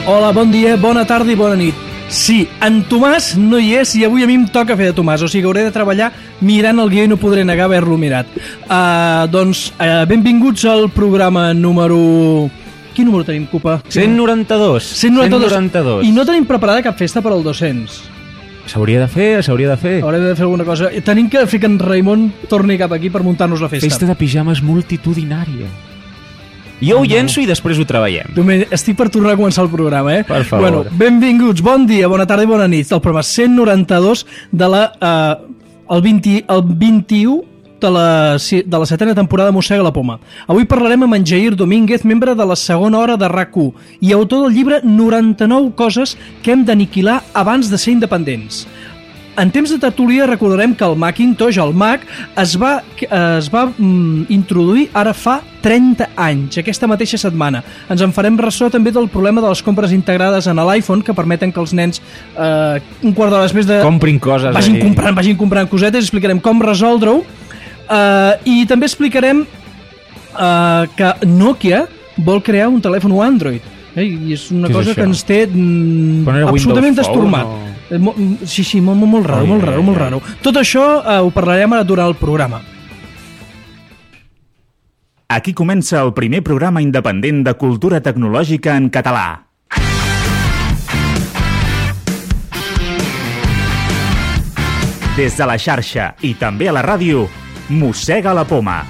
Hola, bon dia, bona tarda i bona nit. Sí, en Tomàs no hi és i avui a mi em toca fer de Tomàs, o sigui, hauré de treballar mirant el guió i no podré negar haver-lo mirat. Benvinguts al programa número... Quin número tenim, Cupa? 192. 192. I no tenim preparada cap festa per al 200. S'hauria de fer. Haurem de fer alguna cosa. Tenim que fer que en Raimon torni cap aquí per muntar-nos la festa. Festa de pijames multitudinària. Jo ho llenço i després ho treballem. Estic per tornar a començar el programa, Per favor. Bueno, benvinguts, bon dia, bona tarda i bona nit. El programa 192 de el 21 de la 7a temporada de Mossega la Poma. Avui parlarem amb en Jair Domínguez, membre de la segona hora de RAC1 i autor del llibre 99 coses que hem d'aniquilar abans de ser independents. En temps de tertúlia recordarem que el Macintosh, el Mac, es va introduir ara fa 30 anys, aquesta mateixa setmana. Ens en farem ressò també del problema de les compres integrades en l'iPhone, que permeten que els nens un quart d'hora després de... comprin coses. Vagin comprant cosetes, explicarem com resoldre-ho. I també explicarem que Nokia vol crear un telèfon Android. I és una cosa que ens té absolutament destormat. Sí, molt raro. Tot això ho parlarem ara durant el programa. Aquí comença el primer programa independent de cultura tecnològica en català. Des de la xarxa i també a la ràdio, Mossega la Poma.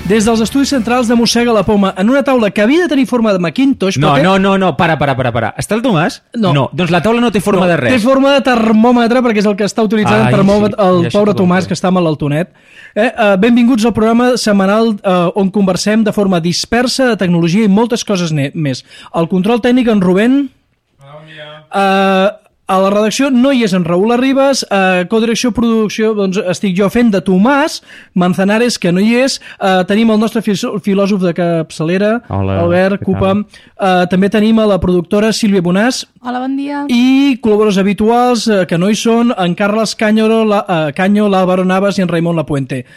Des dels estudis centrals de Mossega la Poma, en una taula que havia de tenir forma de Macintosh... No, para. Està el Tomàs? No, doncs la taula no té forma de res. Té forma de termòmetre, perquè és el que està utilitzant el termòmetre, el pobre Tomàs, que està malaltonet. Benvinguts al programa setmanal on conversem de forma dispersa de tecnologia i moltes coses més. El control tècnic, en Rubén... A la redacció no hi és en Raül Arribas, codirecció, producció, doncs estic jo fent de Tomàs Manzanares, que no hi és, tenim el nostre filòsof de capçalera, hola, Albert Cupa, també tenim a la productora Sílvia Bonàs. Hola, bon dia. I col·laboradors habituals, que no hi són, en Carles Canyo, l'Álvaro Navas i en Raimon Lapuente.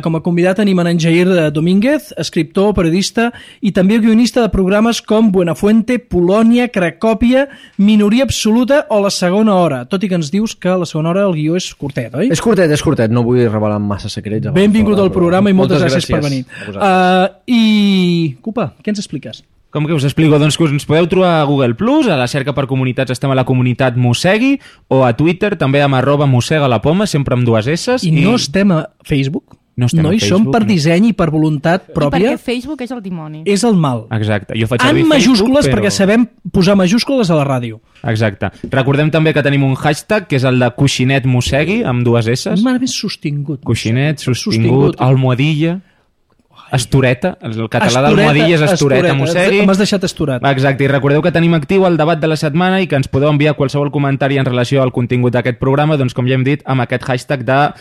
Com a convidat tenim en Jair Domínguez, escriptor, periodista i també guionista de programes com Buenafuente, Polònia, Cracòpia, Minoria Absoluta o La Segona Hora, tot i que ens dius que la segona hora el guió és curtet, oi? És curtet, no vull revelar massa secrets. Benvingut al programa i moltes gràcies per venir. I, Cupa, què ens expliques? Com que us explico? Doncs que us ens podeu trobar a Google+, a la cerca per comunitats estem a la comunitat Mossegui, o a Twitter també amb @mossegalapoma, sempre amb 2 S. I no estem a Facebook? No hi som per disseny i per voluntat pròpia. I perquè Facebook és el dimoni. És el mal. Exacte. Jo faig en majúscules, perquè sabem posar majúscules a la ràdio. Exacte. Recordem també que tenim un hashtag, que és el de Coixinet Mossegui, amb 2 S. M'ha més sostingut. Coixinet, sostingut, almohadilla... Estoreta, el català d'almohadilla és estoreta, Mossegui. M'has deixat estorat. Exacte, i recordeu que tenim actiu el debat de la setmana i que ens podeu enviar qualsevol comentari en relació al contingut d'aquest programa, doncs com ja hem dit, amb aquest hashtag de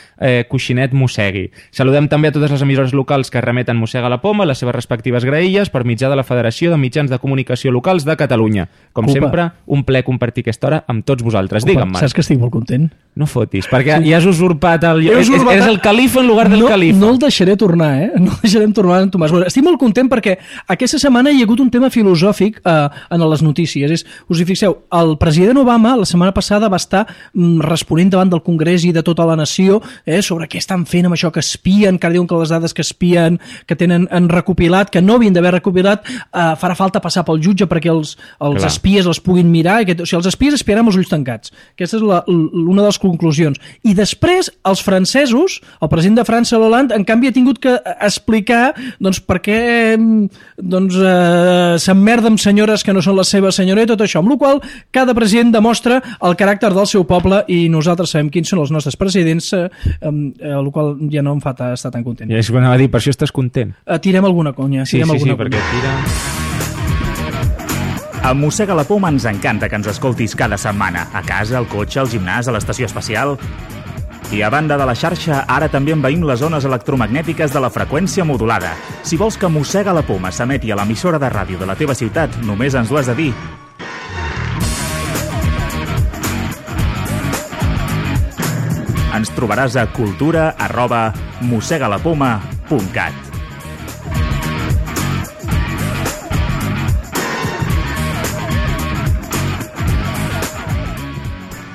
Coixinet Mossegui. Saludem també a totes les emissores locals que remeten Mossega la Poma, les seves respectives graelles, per mitjà de la Federació de Mitjans de Comunicació Locals de Catalunya. Com sempre, un plaer compartir aquesta hora amb tots vosaltres. Digue'm, Marc. Saps que estic molt content? No fotis, perquè ja has usurpat el... Eres el califa en lugar del califa. No el deixaré tornar, No el deixarem tornar en Tomàs. Bueno, estic molt content perquè aquesta setmana hi ha hagut un tema filosòfic en les notícies. Us hi fixeu, el president Obama la setmana passada va estar responent davant del Congrés i de tota la nació sobre què estan fent amb això que espien, que diuen que les dades que espien, que han recopilat, que no havien d'haver recopilat, farà falta passar pel jutge perquè els espies les puguin mirar. O sigui, els espies espiaran amb els ulls tancats. Aquesta és una de les conclusions. I després, els francesos, el president de França, Hollande, en canvi ha tingut que explicar per què s'emmerda amb senyores que no són la seva senyora i tot això, amb la qual cada president demostra el caràcter del seu poble i nosaltres sabem quins són els nostres presidents, amb la qual ja no em fa estar tan content. Ja és que anava a dir, per això estàs content. Tirem alguna conya. Sí, perquè tira... A Mossega la Poma ens encanta que ens escoltis cada setmana, a casa, al cotxe, al gimnàs, a l'estació espacial... I a banda de la xarxa, ara també envaïm les zones electromagnètiques de la freqüència modulada. Si vols que Mossega la Poma s'emeti a l'emissora de ràdio de la teva ciutat, només ens ho has de dir. Ens trobaràs a cultura@mossegalapoma.com. capcide.cat.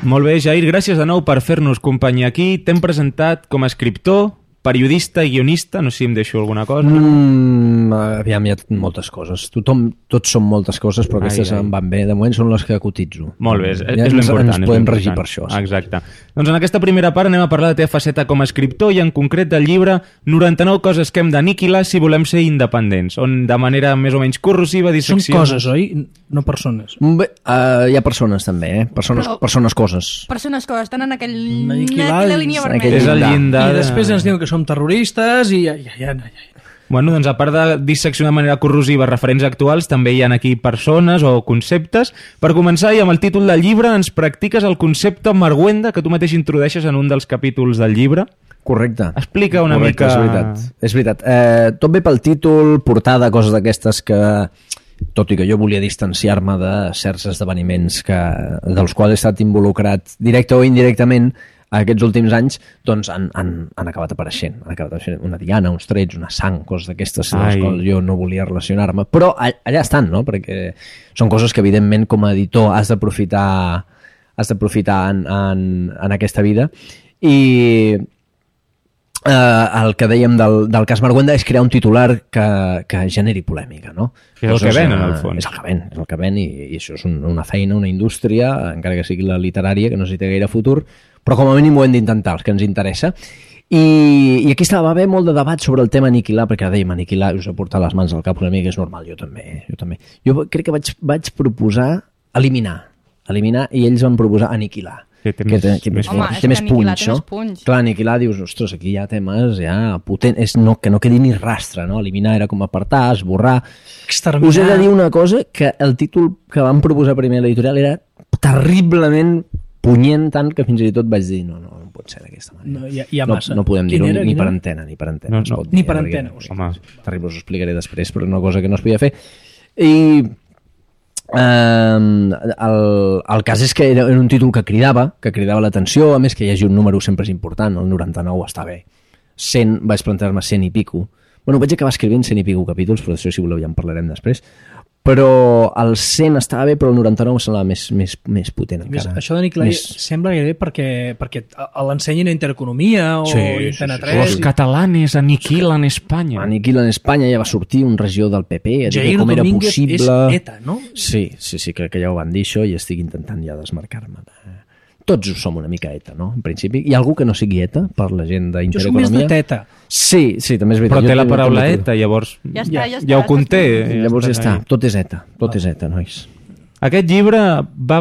Molt bé, Jair, gràcies de nou per fer-nos companyia aquí. T'hem presentat com a escriptor, periodista i guionista, no sé si em deixo alguna cosa. Aviam, hi ha moltes coses. Tots són moltes coses, però aquestes em van bé. De moment són les que cotitzo. Molt bé, és Ja l'important. ens podem regir per això. Sí. Exacte. Doncs en aquesta primera part anem a parlar de la teva faceta com a escriptor i en concret del llibre 99 coses que hem d'aniquilar si volem ser independents, on de manera més o menys corrosiva Són dissecció... coses, oi? No persones. Bé, hi ha persones també, persones coses. Persones que estan en Aniquilades, aquella línia en vermella. És el llindar. I després ens diuen que som terroristes i ja. Bueno, doncs a part de disseccionar de manera corrosiva referents actuals, també hi ha aquí persones o conceptes. Per començar, i amb el títol del llibre, ens practiques el concepte Marguenda, que tu mateix introdueixes en un dels capítols del llibre. Correcte. Explica una Correcte, mica... És veritat. Tot ve pel títol, portada, coses d'aquestes que, tot i que jo volia distanciar-me de certs esdeveniments dels quals he estat involucrat directe o indirectament aquests últims anys, doncs han acabat apareixent. Han acabat apareixent una diana, uns trets, una sang, coses d'aquestes amb les quals jo no volia relacionar-me. Però allà estan, no? Perquè són coses que, evidentment, com a editor has d'aprofitar en aquesta vida. I el que dèiem del cas Marguenda és crear un titular que generi polèmica, no? És el que ven, en el fons. És el que ven, i això és una feina, una indústria, encara que sigui la literària, que no sé si té gaire futur, però com a mínim ho hem d'intentar, els que ens interessa. I aquí va haver molt de debat sobre el tema aniquilar, perquè dèiem aniquilar, us ha portat les mans al cap una mica, és normal, jo també. Jo crec que vaig proposar eliminar, i ells van proposar aniquilar. Que té més punx, no? Clar, aniquilar, dius, ostres, aquí hi ha temes potents, que no quedi ni rastre, no? Eliminar era com apartar, esborrar... Exterminar. Us he de dir una cosa, que el títol que van proposar primer a l'editorial era terriblement punyent, tant que fins i tot vaig dir, no pot ser d'aquesta manera. No, hi ha massa. No podem dir-ho ni per antena. No, ni per antena. Terrible, us ho explicaré després, però una cosa que no es podia fer. I... el cas és que era un títol que cridava l'atenció, a més que hi hagi un número sempre és important, el 99 està bé, 100, vaig plantejar-me 100 i pico, bueno, vaig acabar escrivint 100 i pico capítols, però d'això si voleu ja en parlarem després, però el 100 estava bé, però el 99 semblava més potent encara. Això d'aniquilar sembla gairebé perquè l'ensenyin a Intereconomia o Antena 3. Los catalanes aniquilen Espanya. Aniquilen Espanya, ja va sortir un regidor del PP a dir com era possible. És ETA, no? Sí, crec que ja ho van dir això i estic intentant ja desmarcar-me. Tots som una mica ETA, no? En principi. Hi ha algú que no sigui ETA per la gent d'Intereconomia? Jo soc més de TETA. Sí, també és veritat. Però té la paraula ETA, llavors ja ho conté. Llavors ja està, tot és ETA, nois. Aquest llibre va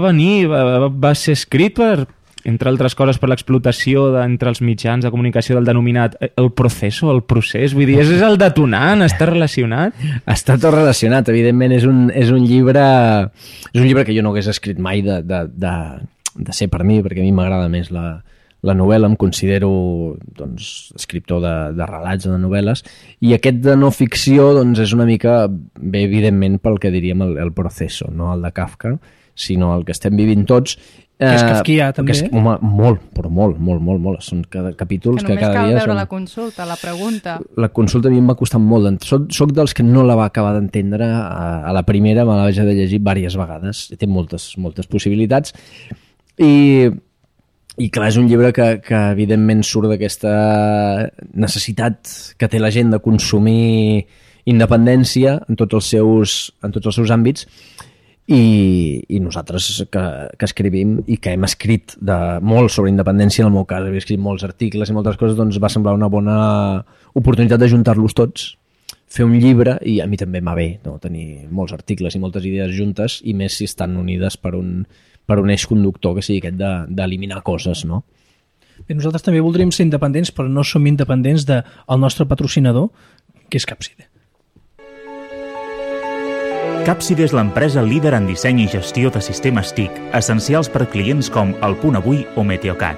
ser escrit per, entre altres coses, per l'explotació entre els mitjans de comunicació del denominat el procés, vull dir, és el detonant, està relacionat? Està tot relacionat, evidentment és un llibre que jo no hagués escrit mai de ser per mi, perquè a mi m'agrada més la novel·la, em considero escriptor de relats o de novel·les, i aquest de no ficció és una mica, bé, evidentment, pel que diríem el proceso, no el de Kafka, sinó el que estem vivint tots. Que és kafkià, també. Home, molt. Són capítols que cada dia... Que només cal veure la consulta, la pregunta. La consulta a mi em va costar molt. Soc dels que no la va acabar d'entendre a la primera, me la vaig de llegir diverses vegades. Té moltes possibilitats. I clar, és un llibre que evidentment surt d'aquesta necessitat que té la gent de consumir independència en tots els seus àmbits, i nosaltres que escrivim i que hem escrit molt sobre independència, en el meu cas he escrit molts articles i moltes coses, doncs va semblar una bona oportunitat d'ajuntar-los tots, fer un llibre, i a mi també m'ha bé, no? Tenir molts articles i moltes idees juntes, i més si estan unides per un eix conductor que sigui aquest d'eliminar coses, no? Bé, nosaltres també voldríem ser independents, però no som independents del nostre patrocinador, que és Capcide. Capcide és l'empresa líder en disseny i gestió de sistemes TIC, essencials per clients com El Punt Avui o Meteocat.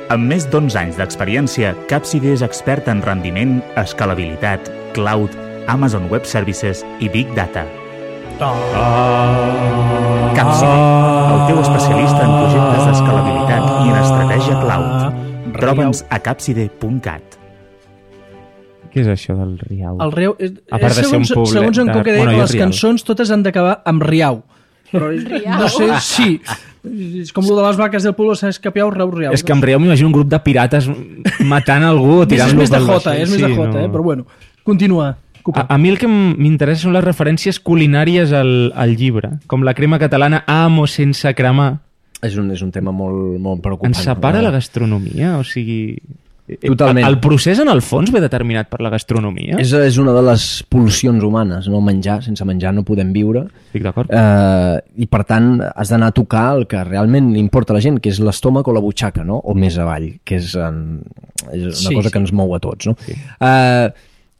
Amb més d'11 anys d'experiència, Capcide és expert en rendiment, escalabilitat, cloud, Amazon Web Services i Big Data. Capcide, el teu especialista en projectes d'escalabilitat i en estratègia cloud. Troba'ns a capcide.cat. Què és això del riau? El riau... A part de ser un poblet... Segons en Coque deia, Bueno, les riau. cançons totes han d'acabar amb riau. Però no sé, sí. És com el de les vaques del pueblo, saps capiau, riau. És que en riau m'imagino un grup de pirates matant algú o És tirant-lo més de pel jota, vaixell. és més de Sí, jota, no. però bueno. Continua. A mi el que m'interessa són les referències culinàries al llibre, com la crema catalana amo sense cremar. És un tema molt preocupant. Ens separa la gastronomia, o sigui... Totalment. El procés, en el fons, ve determinat per la gastronomia? És una de les pulsions humanes, no menjar. Sense menjar no podem viure. Estic d'acord. I per tant has d'anar a tocar el que realment li importa a la gent, que és l'estómac o la butxaca, no? O més avall, que és una cosa que ens mou a tots, no? Sí.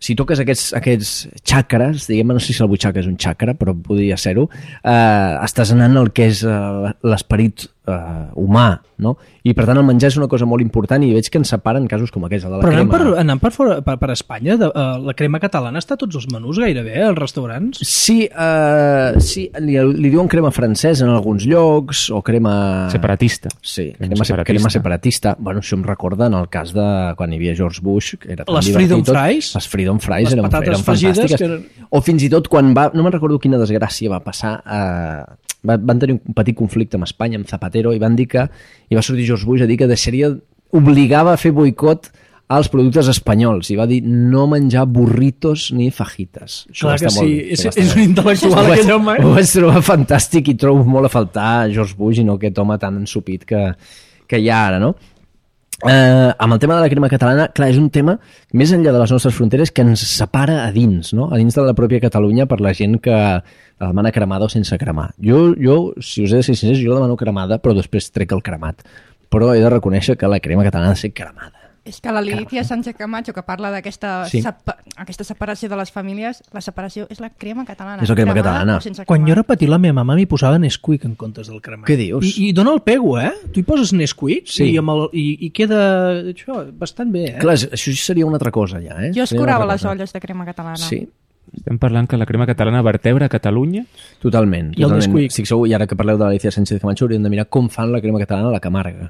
Si toques aquests xàcraes, diguem, no sé si la butxaca és un xàcra, però podria ser-ho, estàs anant al que és l'esperit humà, no? I per tant el menjar és una cosa molt important i veig que ens separen casos com aquests, el de la crema. Però anant per Espanya, la crema catalana està a tots els menús gairebé, als restaurants? Sí, li diuen crema francesa en alguns llocs, o crema... Separatista. Sí, crema separatista. Bueno, això em recorda en el cas de quan hi havia George Bush, que era tan les divertit Freedom tot. Fries? Les Freedom Fries Les eren patates fregides, fantàstiques. O fins i tot quan no me'n recordo quina desgràcia va passar, van tenir un petit conflicte amb Espanya, amb Zapatero, i van dir que, i va sortir George Bush a dir que obligava a fer boicot als productes espanyols, i va dir no menjar burritos ni fajitas. Clar que sí, és un intel·lectual aquell home. Ho vaig trobar fantàstic i trobo molt a faltar George Bush i no aquest home tan ensupit que hi ha ara, no? Amb el tema de la crema catalana, clar, és un tema més enllà de les nostres fronteres que ens separa a dins, no? A dins de la pròpia Catalunya, per la gent que la demana cremada o sense cremar. Jo, si us he de ser sincers, jo la demano cremada, però després trec el cremat. Però he de reconèixer que la crema catalana ha de ser cremada. És que la Lídia Sánchez Camacho, que parla d'aquesta aquesta separació de les famílies, la separació és la crema catalana. És la crema catalana. Quan jo era petit, la meva mama m'hi posava Nesquik en comptes del cremat. Què dius? I dona el pego, Tu hi poses Nesquik sí. i queda això, bastant bé, Clar, això seria una altra cosa ja, Jo escurava les olles de crema catalana. Sí. Estem parlant que la crema catalana vertebra Catalunya? Totalment. I el Nesquik. Estic segur, i ara que parleu de l'Alicia Sánchez Camacho, hauríem de mirar com fan la crema catalana a la Camarga.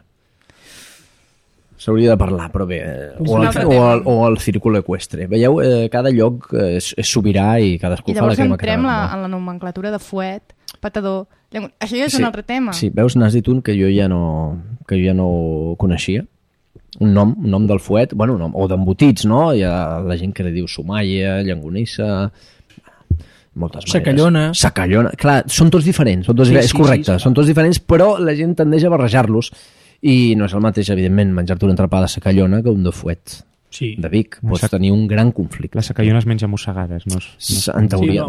S'hauria de parlar, però bé, o el círculo equestre. Veieu, cada lloc és sobirà i cadascú fa la crema catalana. I llavors entrem en la nomenclatura de fuet, patador... Això ja és un altre tema. Sí, veus, n'has dit un que jo ja no coneixia. Un nom del fuet, bueno, o d'embotits, no? Hi ha la gent que li diu somaia, llangonissa... moltes maneres. Sacallona. Clar, són tots diferents, és correcte, són tots diferents, però la gent tendeix a barrejar-los. I no és el mateix, evidentment, menjar-te una entrepà de sacallona que un de fuet. Sí. De Vic. Pots tenir un gran conflicte. La sacallona es menja mossegades, no? En teoria,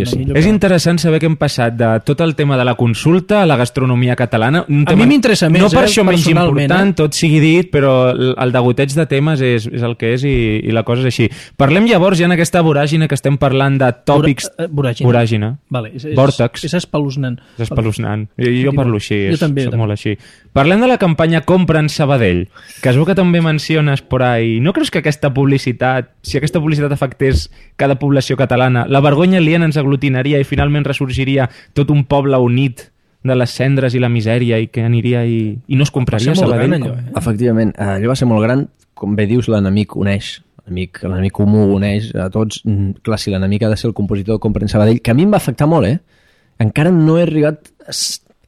sí. És interessant saber que hem passat de tot el tema de la consulta a la gastronomia catalana. A mi m'interessa més, no per això menys important, tot sigui dit, però el degoteig de temes és el que és i la cosa és així. Parlem llavors ja en aquesta voràgina que estem parlant de tòpics... Voràgina. Vale, Vòrtex. És espeluznant. És espeluznant. Jo parlo així, soc molt així. Parlem de la campanya Compra en Sabadell, que es veu que també menciones por ahí. No creus que aquesta publicitat, si aquesta publicitat afectés cada població catalana, la vergonya aliena ens aglutinaria i finalment ressorgiria tot un poble unit de les cendres i la misèria i que aniria i no es compraria Sabadell? Allò, Efectivament, allò va ser molt gran, com bé dius, l'enemic uneix. L'enemic comú uneix a tots. Clar, si l'enemic ha de ser el compositor de Compra en Sabadell, que a mi em va afectar molt, encara no he arribat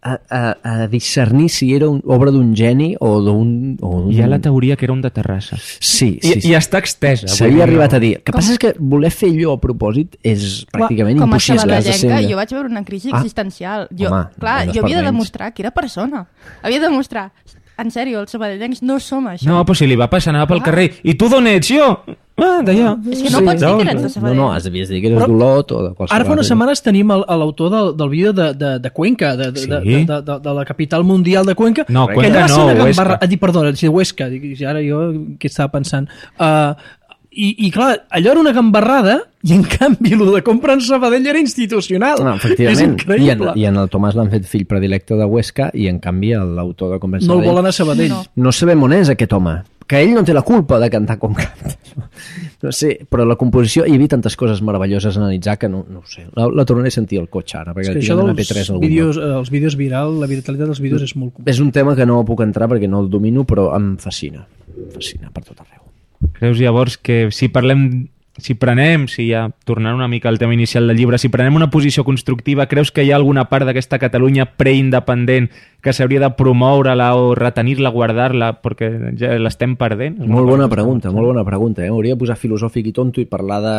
a discernir si era obra d'un geni o d'un... Hi ha la teoria que era un de Terrassa. Sí. I està extesa. S'havia arribat a dir. El que passa és que voler fer allò a propòsit és pràcticament impossible. Com a sabadellenca, jo vaig veure una crisi existencial. Jo havia de demostrar que era persona. Havia de demostrar... En sèrio, els sabadellencs no som això. No, però si li va passar, anava pel carrer. I tu d'on ets? Jo? D'allà. És que no pots dir que eres de Sabadell. No, has de dir que eres d'Olot o de qualsevol... Ara fa unes setmanes tenim l'autor del vídeo de Cuenca, de la capital mundial de Cuenca. No, Cuenca no, Huesca. Perdona, Huesca. Ara jo què estava pensant? I clar, allò era una gambarrada i en canvi el de Compra en Sabadell era institucional. No, efectivament. És increïble. I en el Tomàs l'han fet fill predilecte de Huesca i en canvi l'autor de Compra en Sabadell... No el volen a Sabadell. No sabem on és aquest home. Que ell no té la culpa de cantar com canta. No sé, però la composició... Hi havia tantes coses meravelloses a analitzar que no ho sé. La tornaré a sentir al cotxe ara, perquè això dels vídeos virals, la viralitat dels vídeos és molt complicat. És un tema que no puc entrar perquè no el domino, però em fascina. Em fascina per tot arreu. Creus llavors que si prenem, ja tornant una mica al tema inicial del llibre, si prenem una posició constructiva, creus que hi ha alguna part d'aquesta Catalunya preindependent que s'hauria de promoure-la o retenir-la, guardar-la, perquè ja l'estem perdent? Molt bona pregunta. Hauria de posar filosòfic i tonto i parlar de...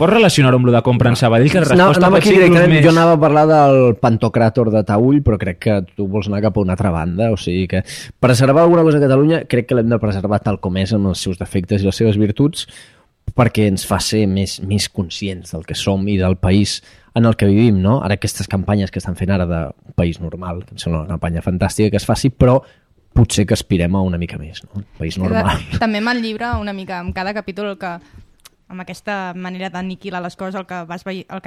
Pots relacionar-ho amb lo de comprar en Sabadell, que la resposta pot ser inclús més... Jo anava a parlar del Pantocràtor de Taüll, però crec que tu vols anar cap a una altra banda, o sigui que preservar alguna cosa a Catalunya crec que l'hem de preservar tal com és, amb els seus defectes i les seves virtuts, perquè ens fa ser més conscients del que som i del país en el que vivim, no? Ara aquestes campanyes que estan fent ara d'un país normal, que em sembla una campanya fantàstica que es faci, però potser que aspirem a una mica més, no? País normal. També amb el llibre, una mica, amb cada capítol amb aquesta manera d'aniquilar les coses, el que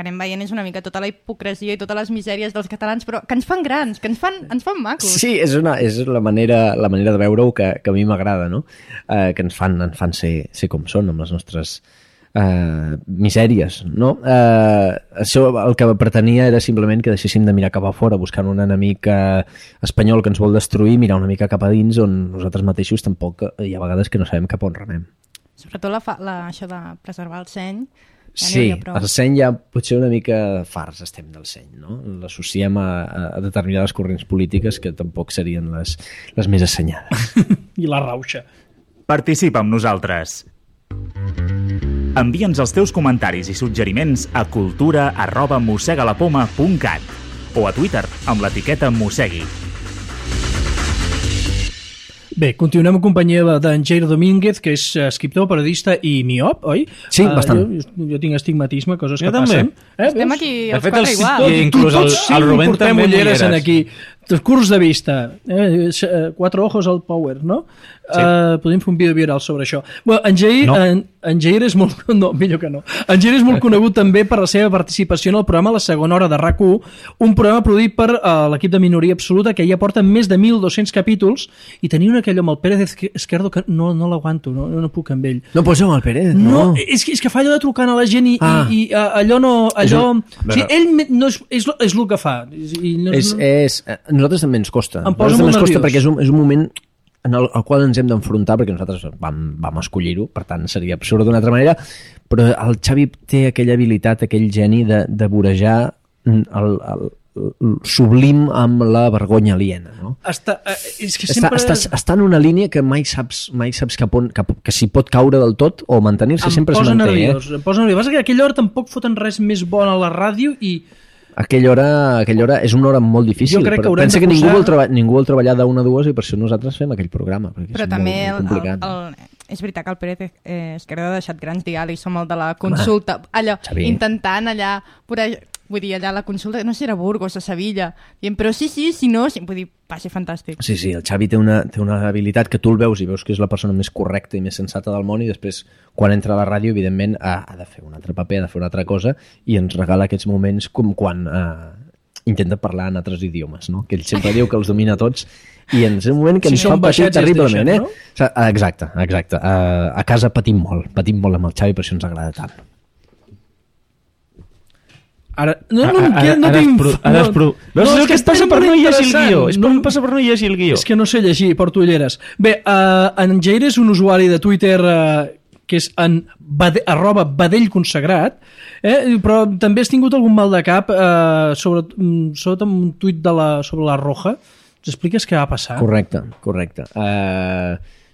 anem veient és una mica tota la hipocresia i totes les misèries dels catalans, però que ens fan grans, que ens fan macos. Sí, és la manera de veure-ho que a mi m'agrada, no? Que ens fan ser com són, amb les nostres misèries, no? Això el que pretenia era simplement que deixéssim de mirar cap a fora, buscant un enemic espanyol que ens vol destruir, mirar una mica cap a dins, on nosaltres mateixos tampoc hi ha vegades que no sabem cap on remem. Sobretot això de preservar el seny. Sí, el seny ja potser una mica farts estem del seny, no? L'associem a determinades corrents polítiques que tampoc serien les més assenyades. I la rauxa. Participa amb nosaltres. Envia'ns els teus comentaris i suggeriments a cultura@mossegalapoma.cat o a Twitter amb l'etiqueta Mossegui. Bé, continuem en companyia d'en Jair Domínguez, que és escriptor, periodista i miop, oi? Sí, bastant. Jo tinc astigmatisme, coses que també passen. Estem aquí els quatre igual. I inclús el Rubén portem també ulleres en aquí. Curs de vista. 4 ojos al power, no? Sí. Podem fer un vídeo viral sobre això. Bueno, en Jair és molt... No, millor que no. En Jair és molt conegut també per la seva participació en el programa La Segona Hora de RAC1, un programa produït per l'equip de Minoria Absoluta, que ja porta més de 1.200 capítols, i tenia aquell amb el Pérez Esquerdo que no l'aguanto, no puc amb ell. No pots amb el Pérez? No, és que fa allò de trucant a la gent i allò no... O sigui, ell no és el que fa. A nosaltres també ens costa. Perquè és un moment en el qual ens hem d'enfrontar, perquè nosaltres vam escollir-ho, per tant seria absurd d'una altra manera, però el Xavi té aquella habilitat, aquell geni de vorejar el sublim amb la vergonya aliena, no? Està en una línia que mai saps que s'hi pot caure del tot o mantenir-se, sempre es manté. Em posa nerviós. Que a aquella hora tampoc foten res més bon a la ràdio i... Aquella hora és una hora molt difícil. Jo crec que pensa que ningú vol treballar d'1 a 2 i per això nosaltres fem aquell programa. Però també és veritat que el Pérez Esquerdo ha deixat grans diàlegs, som el de la consulta, allò, intentant allà, vull dir, allà la consulta, no sé si era Burgos, a Sevilla, dient, però sí, no, vull dir, va ser fantàstic. Sí, el Xavi té una habilitat que tu el veus i veus que és la persona més correcta i més sensata del món, i després, quan entra a la ràdio, evidentment, ha de fer un altre paper, ha de fer una altra cosa, i ens regala aquests moments com quan intenta parlar en altres idiomes, no? Que ell sempre diu que els domina tots, i en un moment que ens fa patir terriblement, no? Exacte. A casa patim molt amb el Xavi, per això ens agrada tant. Ara tinc... Veus el que et passa per no llegir el guió? És per no llegir el guió. És que no sé llegir, porto ulleres. Bé, en Jair és un usuari de Twitter que és @badellconsagrat, però també has tingut algun mal de cap sobretot amb un tuit sobre la Roja. Ens expliques què va passar? Correcte.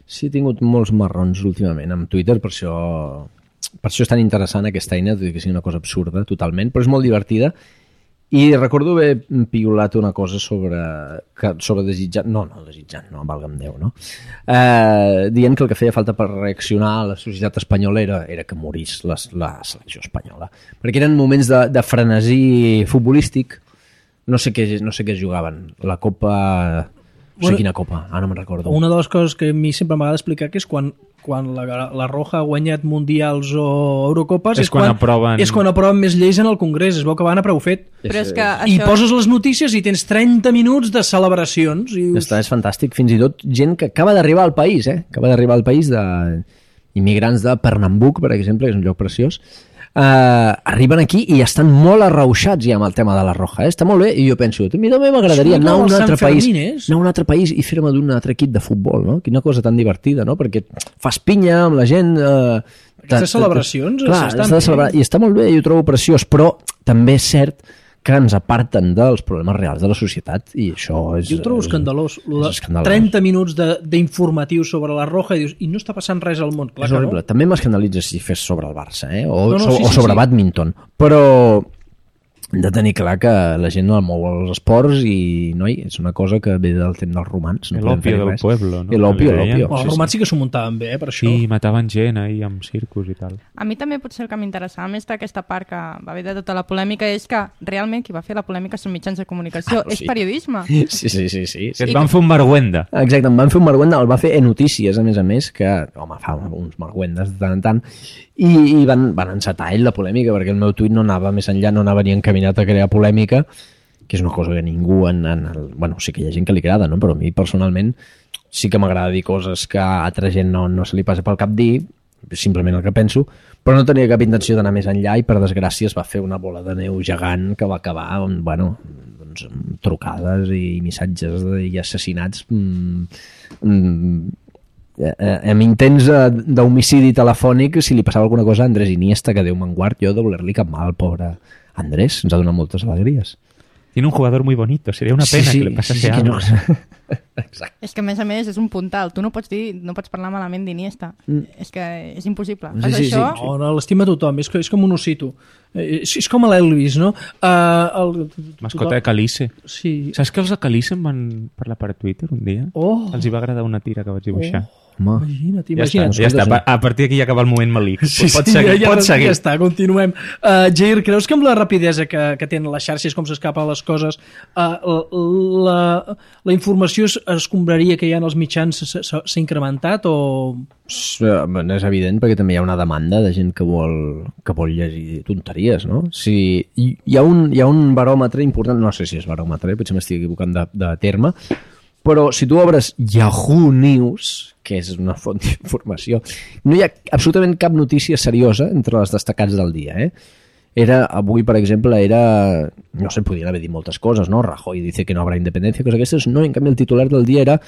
Sí, he tingut molts marrons últimament amb Twitter, per això és tan interessant aquesta eina, tot i que sigui una cosa absurda totalment, però és molt divertida. I recordo haver piulat una cosa sobre desitjant, valga'm Déu, no? Dient que el que feia falta per reaccionar a la societat espanyola era que morís la selecció espanyola. Perquè eren moments de frenesí futbolístic. No sé què jugaven. La Copa... No sé quina copa, ara no me'n recordo. Una de les coses que a mi sempre m'agrada explicar que és quan la Roja ha guanyat mundials o Eurocopes és quan aproven més lleis en el Congrés. Es veu que van a prou fet. Però és que I poses les notícies i tens 30 minuts de celebracions. És fantàstic. Fins i tot gent que acaba d'arribar al país, Acaba d'arribar al país immigrants de Pernambuc, per exemple, que és un lloc preciós, arriben aquí i estan molt arrauxats ja amb el tema de la Roja. Està molt bé, i jo penso, a mi també m'agradaria anar a un altre país i fer-me d'un altre equip de futbol, no? Quina cosa tan divertida, no? Perquè fas pinya amb la gent... Aquestes celebracions i està molt bé, jo ho trobo preciós, però també és cert que ens aparten dels problemes reals de la societat, i això és... Jo ho trobo escandalós. 30 minuts d'informatiu sobre la Roja i dius, i no està passant res al món. Clar, és horrible. No? També m'escandalitza si fes sobre el Barça, o sí, sobre bàdminton, però hem de tenir clar que la gent no el mou als esports i, noi, és una cosa que ve del temps dels romans. No l'òpio del pueblo, no? L'òpio. Els romans sí que s'ho muntaven bé, per això. Sí, mataven gent ahir amb circus i tal. A mi també potser el que m'interessava més d'aquesta part que va haver de tota la polèmica és que realment qui va fer la polèmica són mitjans de comunicació, és periodisme. Sí. Et van fer un marguenda. Exacte, em van fer un marguenda, el va fer Notícies, a més, que, home, fa uns marguendes de tant en tant, i van encetar ell la polèmica, perquè el meu tuit no anava més enllà, no anava ni encaminat a crear polèmica, que és una cosa que ningú bueno, sí que hi ha gent que li agrada, no? Però a mi personalment sí que m'agrada dir coses que a altra gent no se li passa pel cap dir, simplement el que penso, però no tenia cap intenció d'anar més enllà i per desgràcia es va fer una bola de neu gegant que va acabar amb trucades i missatges i assassinats amb intents d'homicidi telefònic si li passava alguna cosa a Andrés Iniesta, que Déu me'n guard, jo de voler-li cap mal, pobre Andrés, ens ha donat moltes alegries. Tiene un jugador muy bonito, sería una pena que le pasase algo. Exacte. És que a més és un puntal, tu no pots parlar malament d'Iniesta, és que és impossible. Sí. No, l'estima tothom, és com un ossito, és com l'Elvis, no? Mascota de Calice. Sí. Saps que els de Calice em van parlar per Twitter un dia? Els hi va agradar una tira que vaig dibuixar. Imagina't. Ja està. A partir d'aquí ja acaba el moment malic. Pots seguir. Ja està, continuem. Jair, creus que amb la rapidesa que tenen les xarxes, com s'escapen les coses, la informació escombraria que hi ha en els mitjans s'ha incrementat o...? És evident, perquè també hi ha una demanda de gent que vol llegir tonteries, no? Si hi ha un baròmetre important, no sé si és baròmetre, potser m'estic equivocant de terme, però si tu obres Yahoo News, que és una font d'informació, no hi ha absolutament cap notícia seriosa entre les destacats del dia, Avui, per exemple, no sé, podien haver dit moltes coses, no? Rajoy dice que no habrá independencia, coses aquestes, no, en canvi el titular del dia era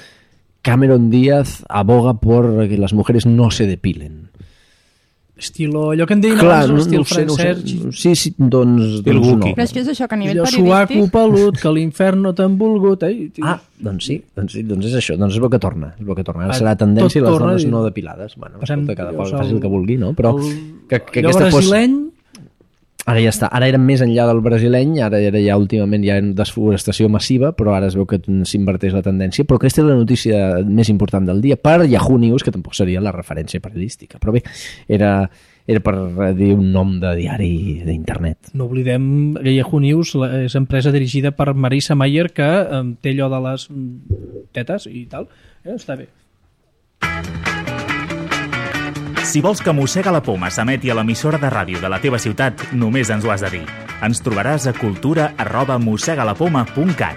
Cameron Díaz aboga por que las mujeres no se depilen. Estilo, allò que em deien abans, l'estil francès. Sí, doncs no. Però és que és això, que a nivell periodístic... Suaco pelut, que l'infern no t'han volgut. Doncs és això, doncs és el que torna. Ara serà tendència i les dones no depilades. Bueno, escolta, cada qual faci el que vulgui, no? Però que aquesta brasileny... Ara ja està, ara érem més enllà del brasileny, ara ja últimament hi ha desforestació massiva, però ara es veu que s'inverteix la tendència, però aquesta és la notícia més important del dia, per Yahoo News, que tampoc seria la referència periodística, però bé, era per dir un nom de diari d'internet. No oblidem que Yahoo News és empresa dirigida per Marissa Mayer, que té allò de les tetes i tal, està bé. Si vols que Mossega la Poma s'emeti a l'emissora de ràdio de la teva ciutat, només ens ho has de dir. Ens trobaràs a cultura@mossegalapoma.cat.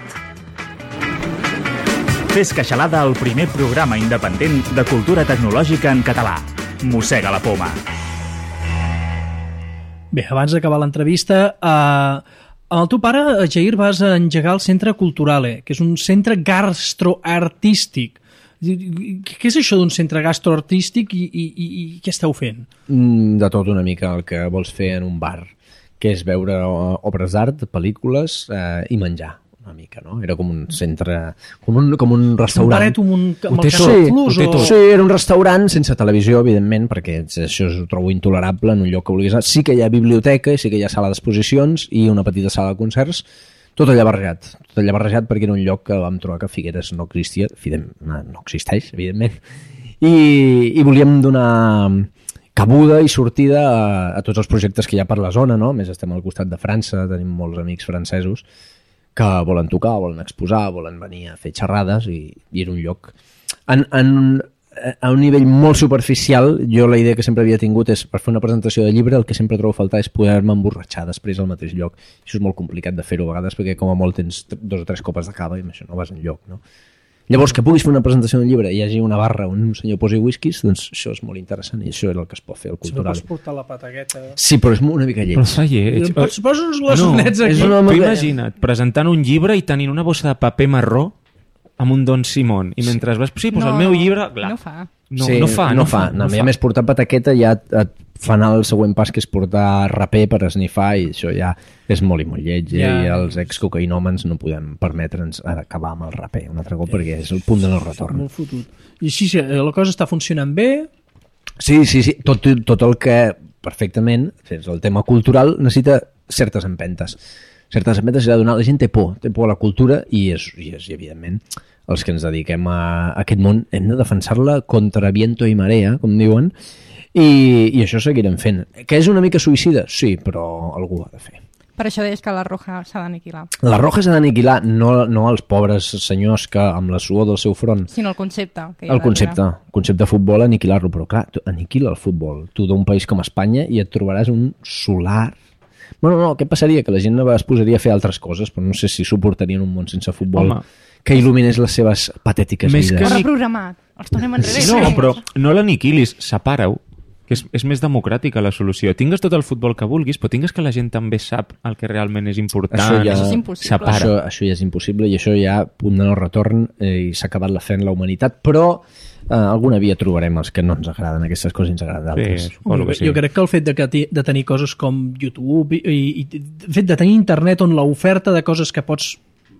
Fes queixalada al primer programa independent de cultura tecnològica en català. Mossega la Poma. Bé, abans d'acabar l'entrevista, amb el teu pare, Jair, vas engegar el Centre Culturale, que és un centre gastroartístic. Què és això d'un centre gastroartístic i què esteu fent? De tot una mica el que vols fer en un bar, que és veure obres d'art, pel·lícules i menjar una mica, no? Era com un centre, com un restaurant. Un baret amb el Canal+. Sí, era un restaurant sense televisió, evidentment, perquè això ho trobo intolerable en un lloc que vulguis anar. Sí que hi ha biblioteca i sí que hi ha sala d'exposicions i una petita sala de concerts, tot allà barrejat perquè era un lloc que vam trobar que Figueres no existia, no existeix, evidentment, i volíem donar cabuda i sortida a tots els projectes que hi ha per la zona, no? A més, estem al costat de França, tenim molts amics francesos que volen tocar, volen exposar, volen venir a fer xerrades i era un lloc... A un nivell molt superficial, jo la idea que sempre havia tingut és, per fer una presentació de llibre, el que sempre trobo a faltar és poder-me emborratxar després al mateix lloc. Això és molt complicat de fer-ho a vegades perquè com a molt tens 2 o 3 copes de cava i amb això no vas enlloc, no? Llavors, que puguis fer una presentació d'un llibre i hi hagi una barra on un senyor posi whiskies, doncs això és molt interessant i això és el que es pot fer al Si no cultural. pots portar la patagueta... Sí, però és una mica lleig. Però fa lleig. Pots posar uns glaçonets aquí. és una- Tu imagina't, presentant un llibre i tenint una bossa de paper marró amb un Don Simón, i mentre vas... Sí, doncs el meu llibre... Clar, No fa. no fa. No, a més, portar pataqueta ja et fa anar el següent pas, que és portar raper per esnifar, i això ja és molt i molt lleig, i els excocaïnòmens no podem permetre'ns acabar amb el raper un altre cop, perquè és el punt de no retorn. Molt fotut. I sí, la cosa està funcionant bé. Sí, tot el que perfectament, el tema cultural necessita certes empentes. Certes empentes s'ha de donar, la gent té por a la cultura i evidentment els que ens dediquem a aquest món hem de defensar-la contra viento i marea, com diuen, i això seguirem fent. Que és una mica suïcida? Sí, però algú ho ha de fer. Per això deies que la Roja s'ha d'aniquilar. La Roja s'ha d'aniquilar, no els pobres senyors que amb la suor del seu front... Sinó el concepte. Que hi ha El concepte de futbol, aniquilar-lo, però clar, aniquila el futbol. Tu d'un país com Espanya i et trobaràs un solar... Bueno, no, què passaria? Que la gent es posaria a fer altres coses, però no sé si suportarien un món sense futbol. Home, que il·luminés les seves patètiques Més vides. Ho ha reprogramat. Els tornem enrere. No, però no l'aniquilis, separa-ho, que és més democràtica la solució. Tingues tot el futbol que vulguis, però tingues que la gent també sap el que realment és important. Això ja, Això és impossible. Separa. Això ja és impossible i això ja punt de no retorn i s'ha acabat la fe en la humanitat, però alguna via trobarem els que no ens agraden aquestes coses i ens agraden d'altres. Sí, suposo que sí. Jo crec que el fet de tenir coses com YouTube i el fet de tenir internet on l'oferta de coses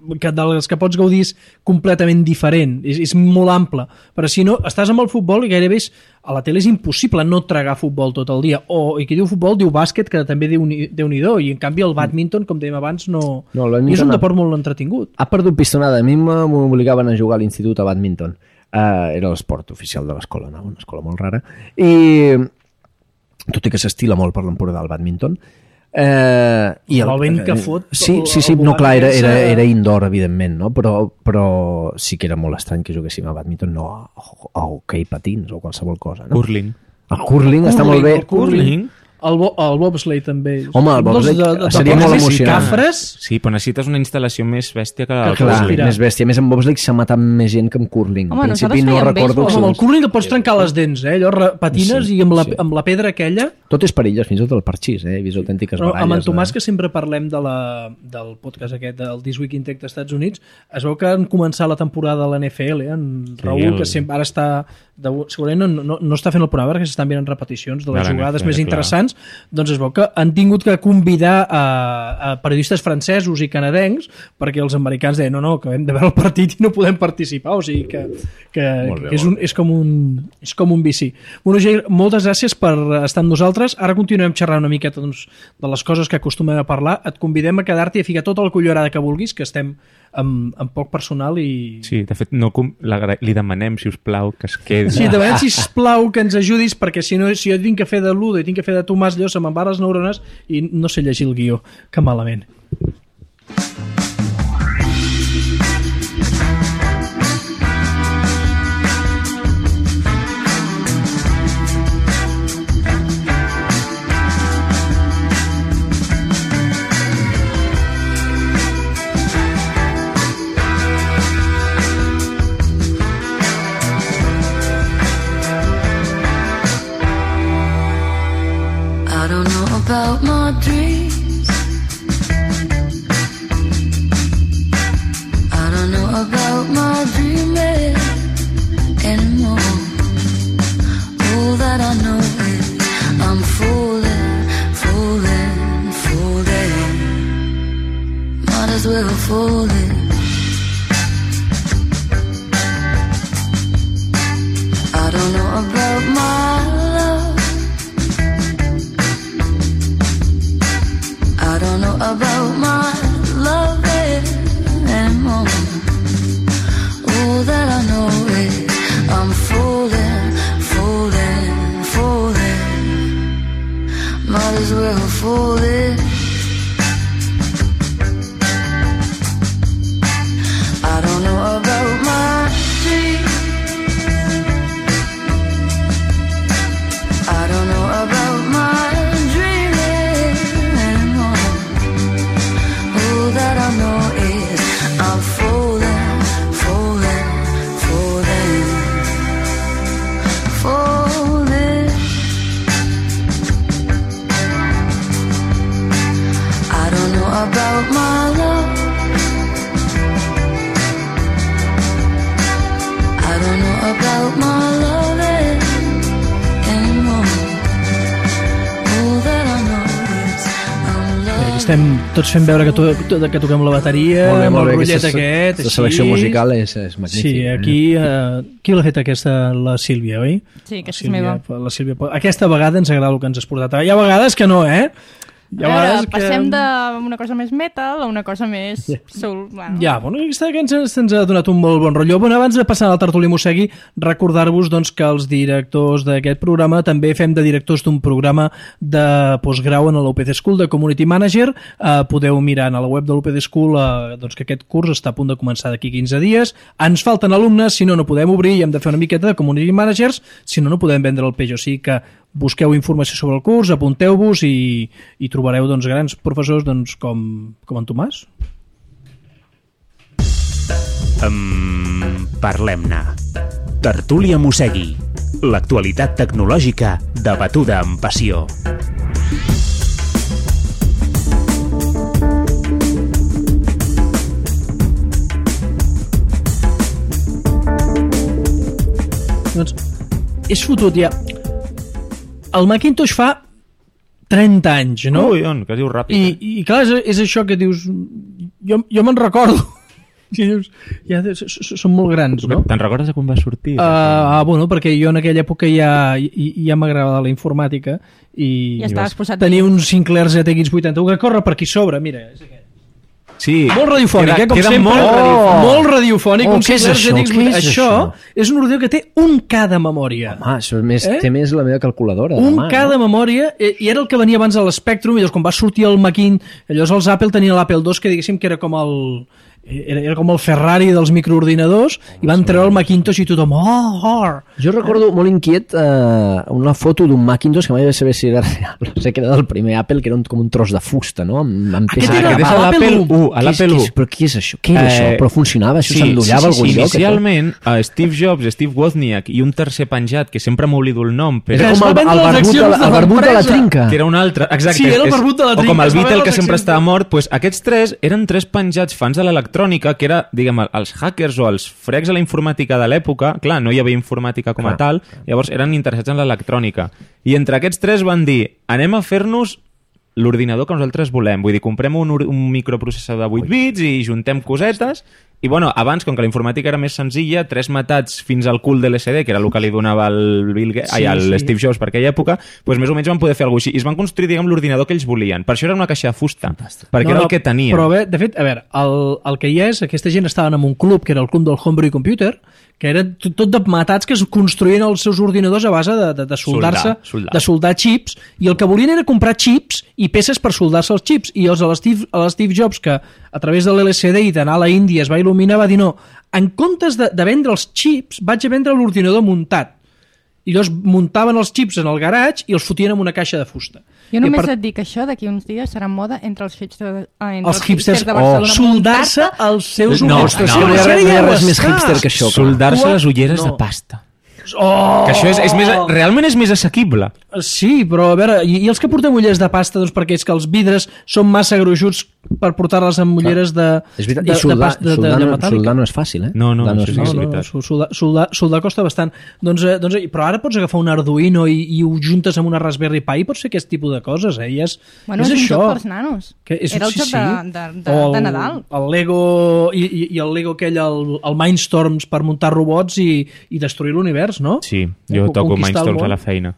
de les que pots gaudir és completament diferent, és molt ample, però si no, estàs amb el futbol i gairebé a la tele és impossible no tragar futbol tot el dia, i qui diu futbol diu bàsquet, que també Déu-n'hi-do, i en canvi el bàdminton, com dèiem abans, no és un deport molt entretingut. Ha perdut pistonada, a mi m'obligaven a jugar a l'institut a bàdminton, era l'esport oficial de l'escola, no? Una escola molt rara, i tot i que s'estila molt per l'Empordà del bàdminton, i el vent que fot sí, no, clar, era indoor evidentment, no? Però sí que era molt estrany que juguéssim a bàdminton, no a hoquei patins o qualsevol cosa, no? Curling. El curling està molt bé. El curling. El bobsleigh també. Home, el bobsleigh seria molt emocionant. Cafres. Sí, però necessites una instal·lació més bèstia que Clar, curling. més bèstia. Més en bobsleigh s'ha matat més gent que en curling. Home, en principi nosaltres no fèiem recordo... Amb el curling et pots trencar les dents, allò patines Sí, i amb la pedra aquella... Tot és perillós, fins i tot el parxís, he vist autèntiques baralles. Amb en Tomàs, que sempre parlem del podcast aquest, del This Week in Tech dels Estats Units, es veu que han començat la temporada de la NFL, en Raül, que sempre ara està... segurament no està fent el programa perquè s'estan veient repeticions de les jugades més interessants, doncs es veu que han tingut que convidar a periodistes francesos i canadencs perquè els americans deien no, que hem de veure el partit i no podem participar, o sigui que és com un vici. Bueno, Jair, moltes gràcies per estar amb nosaltres. Ara continuem xerrant una miqueta de les coses que acostumem a parlar. Et convidem a quedar-t'hi i a ficar tota la cullerada que vulguis, que estem amb poc personal i... Sí, de fet, li demanem, si us plau, que es quedi. Sí, demanem, si us plau, que ens ajudis, perquè si no, si jo tinc que fer de Ludo i tinc que fer de Tomàs, allò se me'n van les neurones i no sé llegir el guió. Que malament. About my dreams, I don't know about my dreaming anymore. All that I know is I'm falling, might as well fall in. I don't know about my love, I don't know about my loving anymore. All that I know is I'm falling, might as well fall in. I don't know about my dreams, I don't know about my that I know is I'm falling, about my love. I don't know about my love anymore. All that I know is I'm loved. Estem tots fent veure que toquem la bateria amb el rotllet aquest. La selecció musical és magnífica. Sí, aquí... qui l'ha fet aquesta? La Sílvia, oi? Sí, aquesta és meva. La Sílvia. Aquesta vegada ens agrada el que ens has portat. Hi ha vegades que no, eh? Passem d'una cosa més metal a una cosa més soul. Bueno. Ja, bueno, aquesta que ens ha donat un molt bon rotllo. Bueno, abans de passar a la tertúlia Mossegui, recordar-vos doncs, que els directors d'aquest programa també fem de directors d'un programa de postgrau en l'UPC School de Community Manager. Podeu mirar a la web de l'UPC School doncs, que aquest curs està a punt de començar d'aquí 15 dies. Ens falten alumnes, si no podem obrir i hem de fer una miqueta de Community Managers, si no podem vendre el peix. O sigui que busqueu informació sobre el curs, apunteu-vos i trobareu doncs, grans professors doncs, com en Tomàs. Parlem-ne. Tertúlia Mossegui. L'actualitat tecnològica debatuda amb passió. Doncs és fotut ja. El Macintosh fa 30 anys, no? Ui, que dius ràpid. I clar, és això que dius... Jo me'n recordo. I dius, ja són molt grans, no? Te'n recordes de quan va sortir? Bueno, perquè jo en aquella època ja m'agradava la informàtica i ja estaves posat tenia un Sinclair ZX81 que corre per aquí sobre, mira, és aquest. Sí, molt radiofònic, com sempre. Molt radiofònic. Què és això? Això és un ordinador que té un K de memòria. Home, això té més la meva calculadora. Un K de memòria, i era el que venia abans a l'Spectrum, i llavors quan va sortir el Macintosh, llavors els Apple tenien l'Apple II, que diguéssim que era com el Ferrari dels microordinadors, i van treure el Macintosh i tothom Jo recordo molt inquiet una foto d'un Macintosh que mai vaig saber si era real, no sé, que era del primer Apple, que era com un tros de fusta, no? Aquest era l'Apple 1. Però què és això? Què era això? Però funcionava? Això s'endollava a algun lloc? Inicialment, Steve Jobs, Steve Wozniak i un tercer penjat, que sempre m'oblido el nom, era com el barbut de la trinca. Que era un altre, exacte. Sí, era el barbut de la trinca. O com el Beatle, que sempre estava mort. Aquests tres eren tres penjats fans de l'electrònica, que era, diguem, els hackers o els frecs a la informàtica de l'època. Clar, no hi havia informàtica com a tal, llavors eren interessats en l'electrònica. I entre aquests tres van dir, anem a fer-nos l'ordinador que nosaltres volem. Vull dir, comprem un microprocessador de 8 bits i juntem cosetes. I, bueno, abans, com que la informàtica era més senzilla, tres matats fins al cul de l'LCD, que era el que li donava el Steve Jobs per aquella època, doncs més o menys van poder fer alguna cosa així. I es van construir, diguem, l'ordinador que ells volien. Per això era una caixa de fusta, perquè era el que tenien. Però bé, de fet, a veure, el que hi és, aquesta gent estaven en un club, que era el club del Homebrew Computer, que era tot de matats que es construïen els seus ordinadors a base de soldar-se, de soldar xips, i el que volien era comprar xips i peces per soldar-se els xips. I l'Steve Jobs, que a través de l'LCD i d'anar a la Índia es va il·luminar, va dir no, en comptes de vendre els xips, vaig a vendre l'ordinador muntat. I llavors muntaven els xips en el garatge i els fotien en una caixa de fusta. Jo només et dic això, d'aquí uns dies serà moda entre els hipsters de Barcelona. Soldar-se els seus ulleres. No hi ha res més hipster que això. Soldar-se les ulleres de pasta. Que això realment és més assequible. Sí, però a veure, i els que portem ulleres de pasta, doncs perquè és que els vidres són massa gruixuts per portar-les amb ulleres de metàl·lica. Soldar no és fàcil, eh? No, és veritat. Soldar costa bastant. Però ara pots agafar un Arduino i ho juntes amb una Raspberry Pi i pots fer aquest tipus de coses, eh? És un això. joc pels nanos. Era el joc de Nadal. El Lego i el Lego aquell, el Mindstorms per muntar robots i destruir l'univers, no? Sí, jo toco Mindstorms a la feina.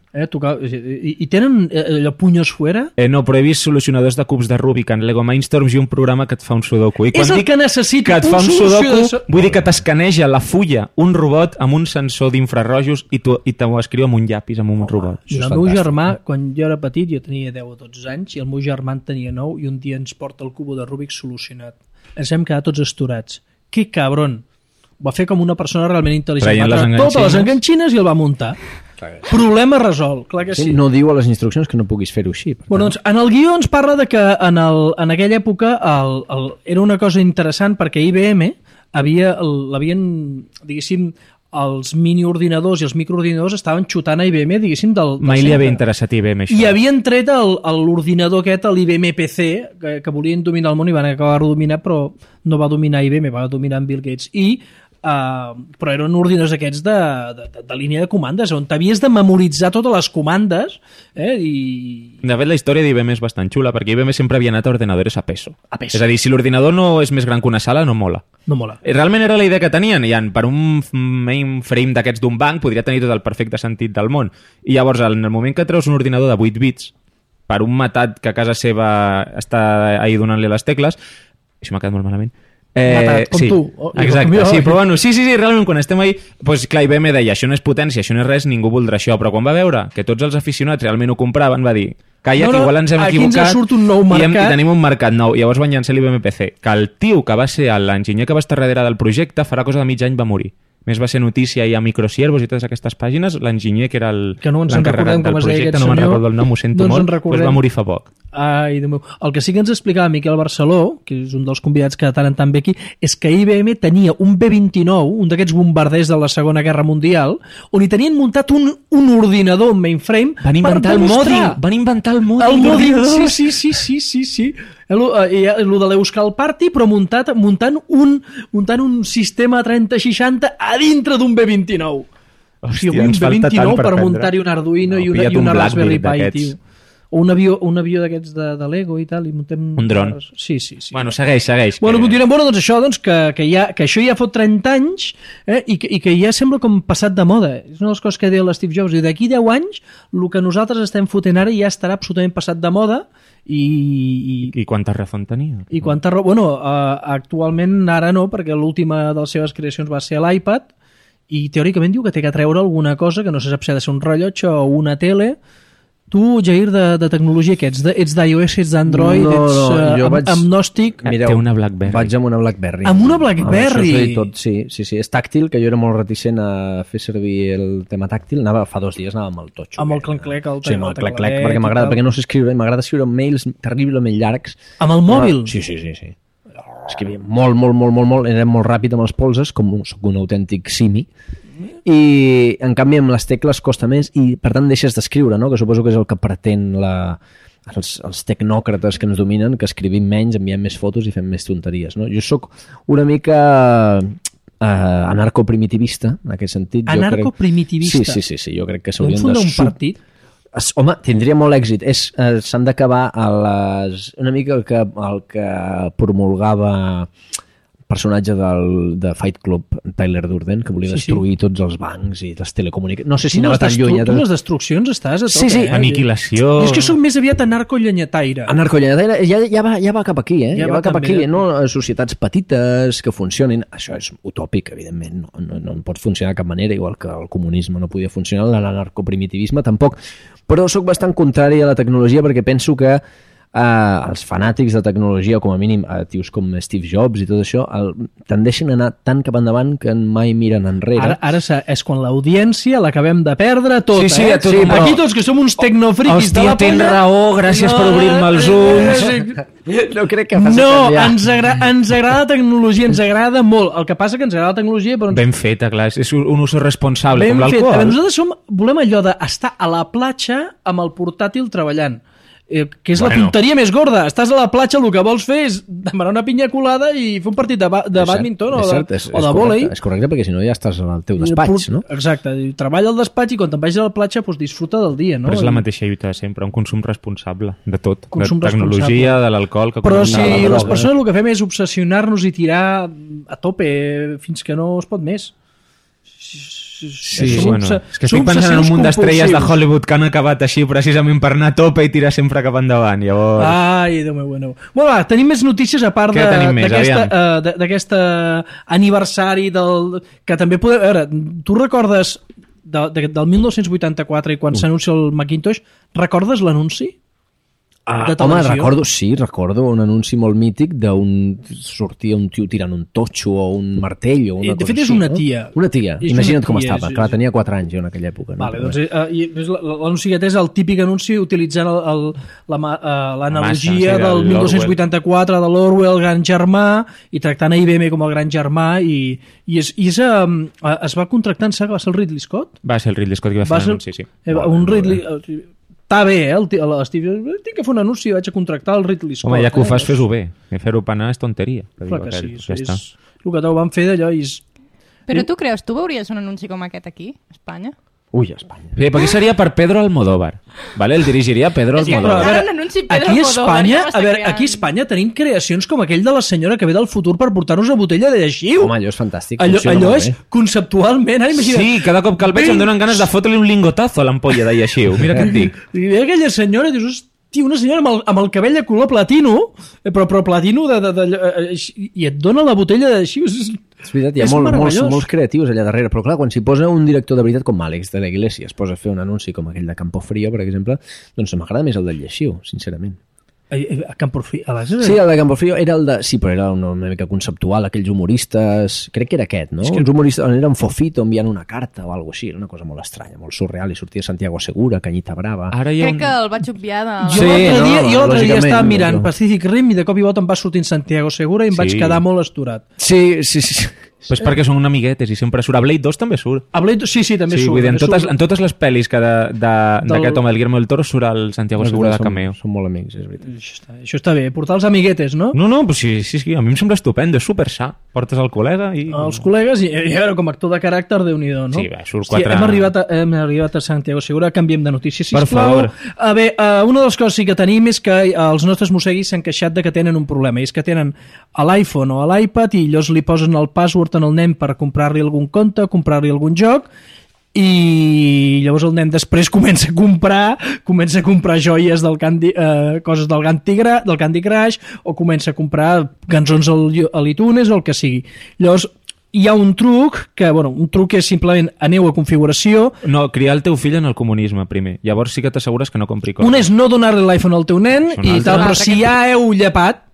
I tenen allò punyos fuera? No, però he vist solucionadors de cubs de Rubik en Lego Mindstorms i un programa que et fa un sudoku. I és el que necessita, que et fa un sudoku, vull dir que t'escaneja la fulla un robot amb un sensor d'infrarrojos i t'ho escriu amb un llapis, amb un robot. I el meu germà, quan jo era petit, jo tenia 10 o 12 anys, i el meu germà en tenia 9, i un dia ens porta el cubo de Rubik solucionat. Ens hem quedat tots esturats. Que cabron! Va fer com una persona realment intel·ligent. Va treure totes les enganxines i el va muntar. Problema resolt, clar que sí. No diu a les instruccions que no puguis fer-ho així. Bueno, doncs, en el guió ens parla de que en aquella època era una cosa interessant perquè IBM l'havien, diguéssim, els miniordinadors i els microordinadors estaven xutant a IBM, diguéssim, del Mai li centre. havia interessat IBM, això. I havien tret l'ordinador aquest, l'IBM PC, que volien dominar el món i van acabar dominar, però no va dominar IBM, va dominar en Bill Gates. Però eren ordinadors aquests de línia de comandes, on t'havies de memoritzar totes les comandes, i... De fet, la història d'IBM és bastant xula, perquè IBM sempre havia anat a ordenadors a peso. A peso. És a dir, si l'ordinador no és més gran que una sala, no mola. No mola. Realment era la idea que tenien, i per un mainframe d'aquests d'un banc podria tenir tot el perfecte sentit del món. I llavors, en el moment que treus un ordinador de 8 bits per un matat que a casa seva està ahí donant-li les tecles, això m'ha quedat molt malament, matat, com sí, tu. Exacte, sí, però bueno, sí, realment quan estem ahí, doncs clar, IBM deia, això no és potència, això no és res, ningú voldrà això, però quan va veure que tots els aficionats realment ho compraven, va dir, calla, que igual ens hem aquí equivocat ens surt un nou mercat. i tenim un mercat nou. I llavors van llançar l'IBM PC, que el tio que va ser l'enginyer que va estar darrere del projecte farà cosa de mig any va morir. Més va ser notícia i a Microsiervos i totes aquestes pàgines, l'enginyer que era l'encarregat del projecte, no me'n recordo el nom, ho sento molt, doncs va morir fa poc. Ai, Déu meu. El que sí que ens explicava Miquel Barceló, que és un dels convidats que de tant en tant ve aquí, és que IBM tenia un B-29, un d'aquests bombarders de la Segona Guerra Mundial, on hi tenien muntat un ordinador, un mainframe, Van inventar el Modin. El Modin, sí. El de l'Euskal Party, però muntant un sistema 3060 a dintre d'un B29. Hòstia, un ens falta tant B29 per per prendre. muntar-hi un Arduino i pilla't una un Raspberry Blackberry Pi, d'aquests. tio. O un avió d'aquests de Lego i tal, i muntem... Un dron. Sí. Bueno, segueix. Bueno, continuem. Bueno, doncs això, que això ja fot 30 anys, i que ja sembla com passat de moda. És una de les coses que deia l'Steve Jobs. I d'aquí 10 anys, el que nosaltres estem fotent ara ja estarà absolutament passat de moda, I quanta raó tenia? i quanta raó... Bueno, actualment ara no, perquè l'última de les seves creacions va ser l'iPad, i teòricament diu que té que treure alguna cosa, que no se sap si ha de ser un rellotge o una tele. Tu, Jair, de tecnologia, què ets? Ets d'iOS, ets d'Android, ets agnòstic? Té una BlackBerry. Vaig amb una BlackBerry. Amb una BlackBerry? Això és tot, sí. És tàctil, que jo era molt reticent a fer servir el tema tàctil. Fa 2 dies anava amb el totxo. Amb el clenc-clec, Sí, amb el clenc-clec, perquè m'agrada, perquè no sé escriure, m'agrada escriure mails terriblement llargs. Amb el mòbil? Sí. Escrivia molt, era molt ràpid amb els polses, com soc un autèntic simi, i en canvi amb les tecles costa més i per tant deixes d'escriure, no? Que suposo que és el que pretén els tecnòcrates que ens dominen, que escrivim menys, enviem més fotos i fem més tonteries, no? Jo sóc una mica anarcoprimitivista en aquest sentit. Anarcoprimitivista? Sí, jo crec que s'haurien de... un partit? Home, tindria molt èxit. S'han d'acabar una mica el que promulgava personatge de Fight Club, Tyler Durden, que volia destruir tots els bancs i les telecomunicacions. No sé si anava tan lluny. Tu les destruccions estàs a tope, Sí. Aniquilació... Jo és que soc més aviat anarco-llenyataire. Anarco-llenyataire ja va cap aquí, Ja va cap aquí, no? Societats petites que funcionin. Això és utòpic, evidentment. No pot funcionar de cap manera, igual que el comunisme no podia funcionar, l'anarcoprimitivisme tampoc. Però sóc bastant contrari a la tecnologia perquè penso que els fanàtics de tecnologia, com a mínim tios com Steve Jobs i tot això, tendeixen a anar tan cap endavant que mai miren enrere. Ara és quan l'audiència l'acabem de perdre tota, però... Aquí tots que som uns tecnofriquis de la tens raó, gràcies per obrir-me els ulls. No crec que faci canviar. Ens agrada la tecnologia, ens agrada molt. El que passa que ens agrada la tecnologia... Però Ben feta, clar, és un ús responsable, com fet. l'alcohol. Nosaltres volem allò d'estar a la platja amb el portàtil treballant. Que és la tonteria més gorda. Estàs a la platja, el que vols fer és demanar una pinya colada i fer un partit de bàdminton o de vòlei. És correcte, perquè si no ja estàs al teu despatx, no? Exacte, treballa al despatx i quan te'n vagis a la platja disfruta del dia, no? Però és la mateixa lluita de sempre, un consum responsable de tot, de tecnologia, de l'alcool... Però si les persones el que fem és obsessionar-nos i tirar a tope fins que no es pot més. Sí, bueno, és que estic pensant en un munt d'estrelles de Hollywood que han acabat així precisament per anar a tope i tirar sempre cap endavant, llavors... Ai, Déu meu, bueno. Bueno, va, tenim més notícies a part d'aquest aniversari que també podem... A veure, tu recordes del 1984 i quan s'anuncia el Macintosh, recordes l'anunci? de home, televisió. recordo un anunci molt mític sortia un tio tirant un totxo o un martell o una De cosa fet, és així, una no? tia. Una tia, És imagina't una com tia, estava. Clar, tenia 4 anys jo en aquella època. No? Vale, doncs, l'anunci aquest és el típic anunci utilitzant l'analogia sí, del de 1284 de l'Orwell, el gran germà, i tractant a IBM com el gran germà, i es va contractar, em sembla que va ser el Ridley Scott? Va ser el Ridley Scott que va fer l'anunci, sí. Un Ridley... Està bé, l'Steve... Tinc que fer un anunci, vaig a contractar el Ridley Scott. Home, ja que ho fas, fes-ho bé. Fer-ho penar és tonteria. Clar que sí, és el que van fer d'allò i... Però tu creus, tu veuries un anunci com aquest aquí, a Espanya? Ui, a Espanya. Bé, perquè seria per Pedro Almodóvar. Vale? El dirigiria Pedro Almodóvar. Però, aquí a Espanya tenim creacions com aquell de la senyora que ve del futur per portar-nos una botella de lleixiu. Home, allò és fantàstic. Allò és conceptualment... Imagina't, Sí, cada cop que el veig em donen ganes de fotre-li un lingotazo a l'ampolla de lleixiu. Mira què et dic. I ve aquella senyora i dius, hòstia, una senyora amb el cabell de color platino, però platino i et dona la botella de lleixiu. És veritat, hi ha molts creatius allà darrere, però clar, quan s'hi posa un director de veritat com Àlex de la Iglesia es posa a fer un anunci com aquell de Campofrío, per exemple, doncs m'agrada més el del lleixiu, sincerament. A Campofrío? Sí, el de Campofrío era el de... Sí, però era una mica conceptual, aquells humoristes... Crec que era aquest, no? Uns humoristes on era un fofito enviant una carta o alguna cosa així, una cosa molt estranya, molt surreal, i sortia Santiago Segura, Cañita Brava... Crec que el vaig obviar de... Jo l'altre dia estava mirant Pacific Rim i de cop i volta em va sortint Santiago Segura i em vaig quedar molt asturat. Sí. Pues perquè són una amiguetes i sempre surt. A Blade 2 també surt. A Blade 2, sí, també surt. Vull dir, en totes les pel·lis d'aquest home, el Guillermo del Toro, surt el Santiago Segura de cameo. Són molt amics, és veritat. Això està bé, portar els amiguetes, no? No, pues sí, a mi em sembla estupendo, és super sa. Portes el col·lega i... Els col·legues, i a veure, com a actor de caràcter, Déu-n'hi-do, no? Sí, va, surt 4... Hem arribat a Santiago Segura, canviem de notícia, sisplau. Per favor. Bé, una de les coses que tenim és que els nostres mosseguis s'han queixat de que tenen un problema, és que tenen a l'iPhone o a l'iPad i llavors li posen el password en el nen per comprar-li algun compte, comprar-li algun joc, i llavors el nen després comença a comprar joies del coses del Candy Crush, o comença a comprar cançons a l'iTunes o el que sigui. Llavors hi ha un truc un truc és simplement aneu a configuració. No, criar el teu fill en el comunisme primer, llavors sí que t'assegures que no compri coses. Un és no donar-li l'iPhone al teu nen i tal, però si ja heu llepat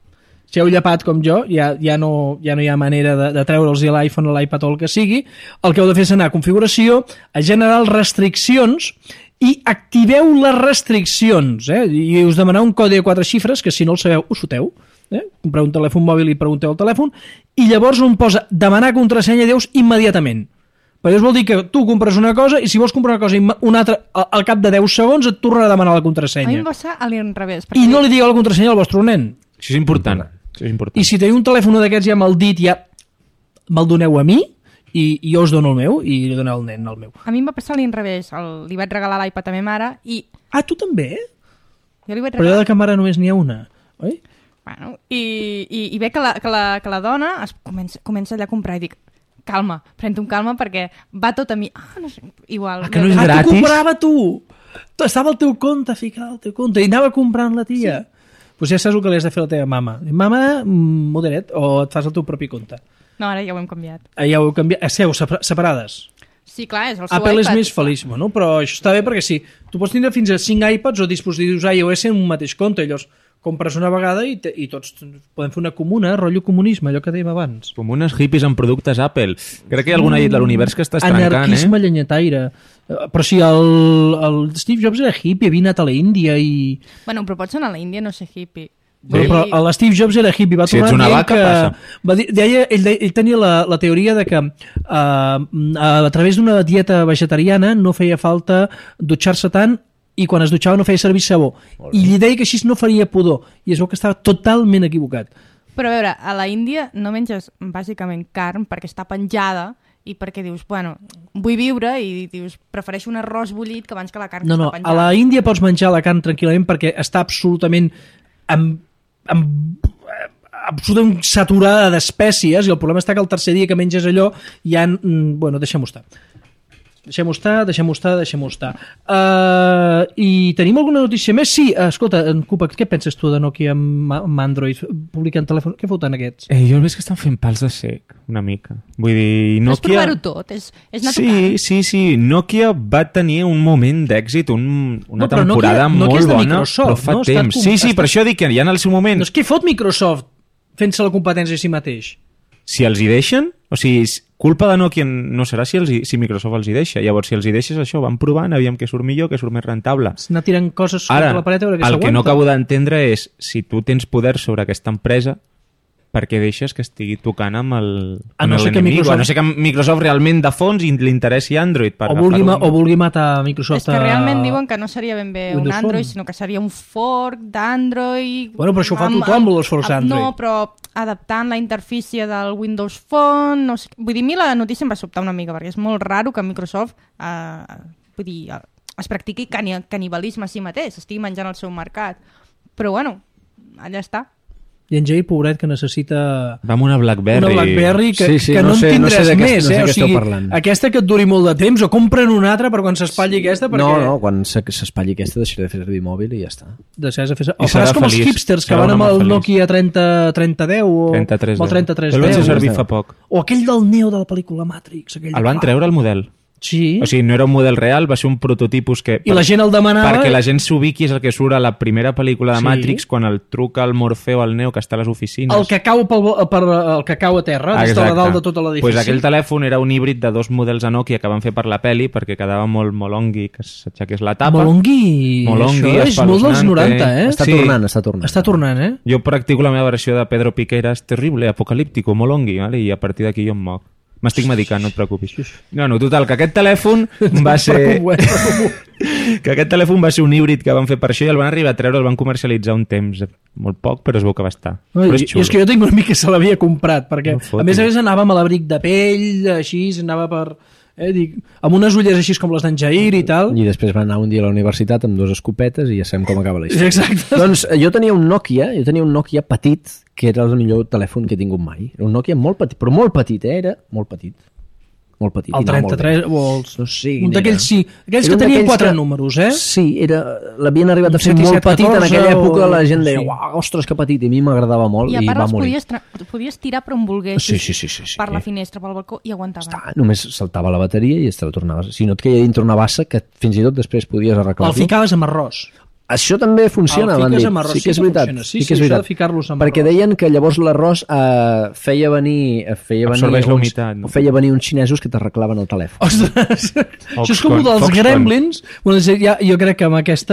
com jo, ja no hi ha manera de treure'ls l'iPhone o l'iPad o el que sigui, el que heu de fer és anar a configuració, a generar restriccions i activeu les restriccions, i us demanar un codi de 4 xifres que si no el sabeu us foteu, compreu un telèfon mòbil i pregunteu al telèfon, i llavors on posa demanar contrasenya deus immediatament. Perquè això vol dir que tu compres una cosa i si vols comprar una cosa i una altra, al cap de 10 segons et tornarà a demanar la contrasenya. A mi em va ser a l'inrevés. I no li digueu la contrasenya al vostre nen. Això és important. I si teniu un telèfon d'aquests ja amb el dit, ja me'l doneu a mi i jo us dono el meu i li doneu al nen el meu. A mi em va passar a l'inrevés. Li vaig regalar l'iPad a ma mare i... Ah, tu també? Jo li vaig Però allò de que mare només n'hi ha una, oi? Bueno, i ve que la dona comença allà a comprar i dic, calma, pren-te un calma perquè va tot a mi. No sé, igual. Que no és gratis? Tu comprava tu! Estava al teu compte, ficat al teu compte, i anava comprant la tia. Sí. Doncs ja saps el que li has de fer a la teva mama. Mama, modera't, o et fas el teu propi compte. No, ara ja ho hem canviat. Ja ho heu canviat. Esteu separades. Sí, clar, és el seu Apple iPad. és més feliç, bueno, però això està bé perquè sí, tu pots tindre fins a 5 iPads o dispositius iOS en un mateix compte, i llavors compres una vegada i tots podem fer una comuna, rotllo comunisme, allò que dèiem abans. Comunes hippies amb productes Apple. Crec que hi ha alguna llet de l'univers que està estrancant, Anarquisme llenyataire. Però si el Steve Jobs era hippie, havia anat a l'Índia i... Bueno, però pots anar a l'Índia no ser hippie. Però l'Steve Jobs era hippie, va tornar dient que... Ell tenia la teoria de que a través d'una dieta vegetariana no feia falta dutxar-se tant i quan es dutxava no feia servir sabó. I li deia que així no faria pudor. I es veu que estava totalment equivocat. Però a veure, a la Índia no menges bàsicament carn perquè està penjada i perquè dius, bueno, vull viure i dius, prefereixo un arròs bullit que abans que la carn que està penjada. A la Índia pots menjar la carn tranquil·lament perquè està absolutament absolutament saturada d'espècies i el problema està que el tercer dia que menges allò ja... Bueno, deixem-ho estar. Deixem-ho estar. I tenim alguna notícia més? Sí, escolta, en Cupa, què penses tu de Nokia amb Android publicant telèfon? Què foten aquests? Jo el veig que estan fent pals de sec, una mica. Vull dir, No és Nokia... provar-ho tot, és natural. Sí. Nokia va tenir un moment d'èxit, una però temporada Nokia molt és de bona, Microsoft, però fa no? temps. Sí, per això dic que ja en el seu moment... Doncs què fot Microsoft fent-se la competència a si mateix? Si els hi deixen, o sigui, culpa de Nokia no serà si Microsoft els hi deixa. Llavors, si els hi deixes això, van provant, aviam què surt millor, què surt més rentable. Anar tirant coses sobre la paret a veure què s'aguanta. El que no acabo d'entendre és, si tu tens poder sobre aquesta empresa, per què deixes que estigui tocant amb l'enemic? A no ser que Microsoft realment de fons li interessi Android. O vulgui matar Microsoft. És que realment diuen que no seria ben bé un Android, sinó que seria un fork d'Android... Bueno, però això ho fa tothom, els forks d'Android. No, però adaptant la interfície del Windows Phone... No sé, vull dir, a mi la notícia em va sobtar una mica, perquè és molt raro que Microsoft es practiqui canibalisme a si mateix, estigui menjant el seu mercat. Però bueno, allà està. I en Jay, pobret, que necessita... Va amb una BlackBerry. Una BlackBerry que no en tindràs més, o sigui, aquesta que et duri molt de temps, o compren una altra per quan s'espatlli aquesta, perquè... No, quan s'espatlli aquesta deixaré de fer servir mòbil i ja està. O faràs com els hipsters que van amb el Nokia 3010 o el 3310. El vaig servir fa poc. O aquell del Neo de la pel·lícula Matrix. El van treure el model. Sí. O sigui, no era un model real, va ser un prototipus que... I la gent el demanava... Perquè la gent s'ubiqui és el que surt a la primera pel·lícula de Matrix, quan el truca el Morfeo al Neo que està a les oficines. El que cau a terra, des de la dalt de tota l'edifici. Pues aquell telèfon era un híbrid de 2 models a Nokia que van fer per la peli, perquè quedava molt molongui que s'aixequés la tapa. Molongui, això és molt dels 90, eh? Està tornant. Jo practico la meva versió de Pedro Piqueras, terrible, apocalíptico, molongui, ¿vale? I a partir d'aquí jo em moc. M'estic medicant, no et preocupis. No, total, que aquest telèfon va ser... que aquest telèfon va ser un híbrid que van fer per això i el van arribar a treure, el van comercialitzar un temps, molt poc, però es veu que va estar. Però és xulo. És que jo tinc un amic que se l'havia comprat, perquè a més anàvem a l'abric de pell, així, anava per... amb unes ulleres així com les d'en Jair i tal. I després va anar un dia a la universitat amb 2 escopetes i ja sabem com acaba la història. Exacte. Doncs jo tenia un Nokia petit, que era el millor telèfon que he tingut mai. Era un Nokia molt petit, però molt petit, era molt petit. Molt petit. El 33 o els... No sé, un d'aquells, sí. Aquells que tenien 4 números, eh? Sí, l'havien arribat a fer molt petit. En aquella època la gent deia, uau, ostres, que petit. I a mi m'agradava molt i va morir. I a part els podies tirar per on volguessis. Sí. Per la finestra, pel balcó, i aguantaven. Només saltava la bateria i te la tornaves. Si no et queia dintre una bassa que fins i tot després podies arreglar-lo. El ficaves amb arròs. Això també funciona, van dir. Sí que és veritat. Sí que és veritat. Perquè deien que llavors l'arròs feia venir absorbeix la humitat, no? Feia venir uns xinesos que t'arreglaven el telèfon. Ostres, això és com dels Gremlins. Jo crec que amb aquest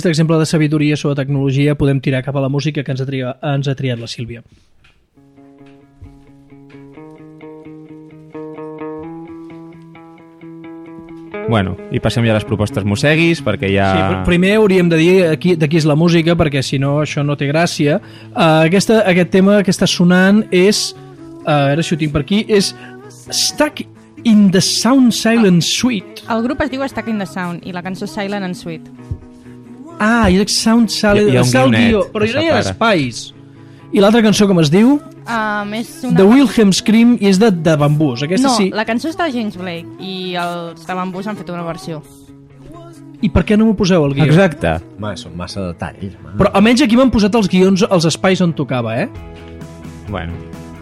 exemple de sabidoria sobre tecnologia podem tirar cap a la música que ens ha triat la Sílvia. Bueno, i passem ja a les propostes mosseguis, perquè ja... Sí, primer hauríem de dir de qui és la música, perquè si no això no té gràcia. Aquest tema que està sonant és, a veure si ho tinc per aquí, és Stuck in the Sound Silent Suite. El grup es diu Stuck in the Sound i la cançó Silent and Sweet. I dic Sound Silent... Hi ha un guionet, però no hi ha espais. I l'altra cançó com es diu? És una... The Wilhelm Scream i és de Bambús. Aquesta no, sí. La cançó està de James Blake i els de Bambús han fet una versió. I per què no m'ho poseu al guió? Exacte. Són massa detalls. Però almenys aquí m'han posat els guions als espais on tocava, eh? Bueno,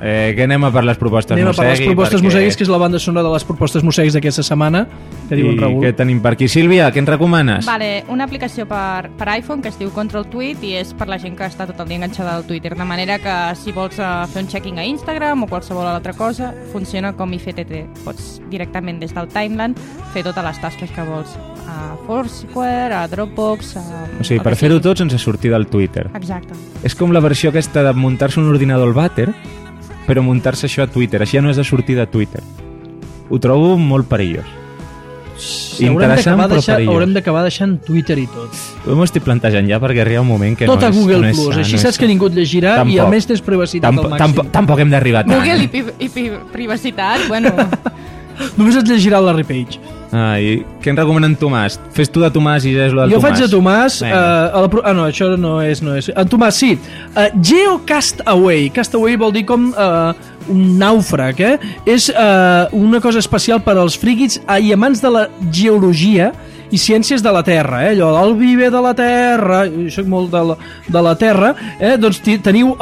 que anem a per les propostes Anem a per les propostes perquè... mosseguis, que és la banda sonora de les propostes mosseguis d'aquesta setmana, que diuen Raül. I què tenim per aquí? Sílvia, què ens recomanes? Vale, una aplicació per iPhone que es diu Control Tweet i és per la gent que està tot el dia enganxada al Twitter, de manera que si vols fer un checking a Instagram o qualsevol altra cosa, funciona com IFTTT. Pots directament des del timeline fer totes les tasques que vols a Foursquare, a Dropbox... O sigui, per fer-ho tot sense sortir del Twitter. Exacte. És com la versió aquesta de muntar-se un ordinador al vàter, però muntar-se això a Twitter. Així ja no és de sortir de Twitter. Ho trobo molt perillós. Interessant, però perillós. Haurem d'acabar deixant Twitter i tot. Jo m'ho estic plantejant ja perquè arriba un moment que tot no és... Tot a Google no Plus, així saps que ningú et llegirà i a més tens privacitat al màxim. Tampoc hem d'arribar tant. Google i privacitat, bueno... Només et llegirà el Larry Page. I què ens recomanen Tomàs? Fes tu de Tomàs i ja és lo del Jo Tomàs. faig de Tomàs... no, això no és. En Tomàs, sí. GeoCastaway. Castaway vol dir com un nàufrag, És una cosa especial per als friquis i amants de la geologia i ciències de la Terra, allò del viver de la Terra, jo soc molt de la Terra, doncs teniu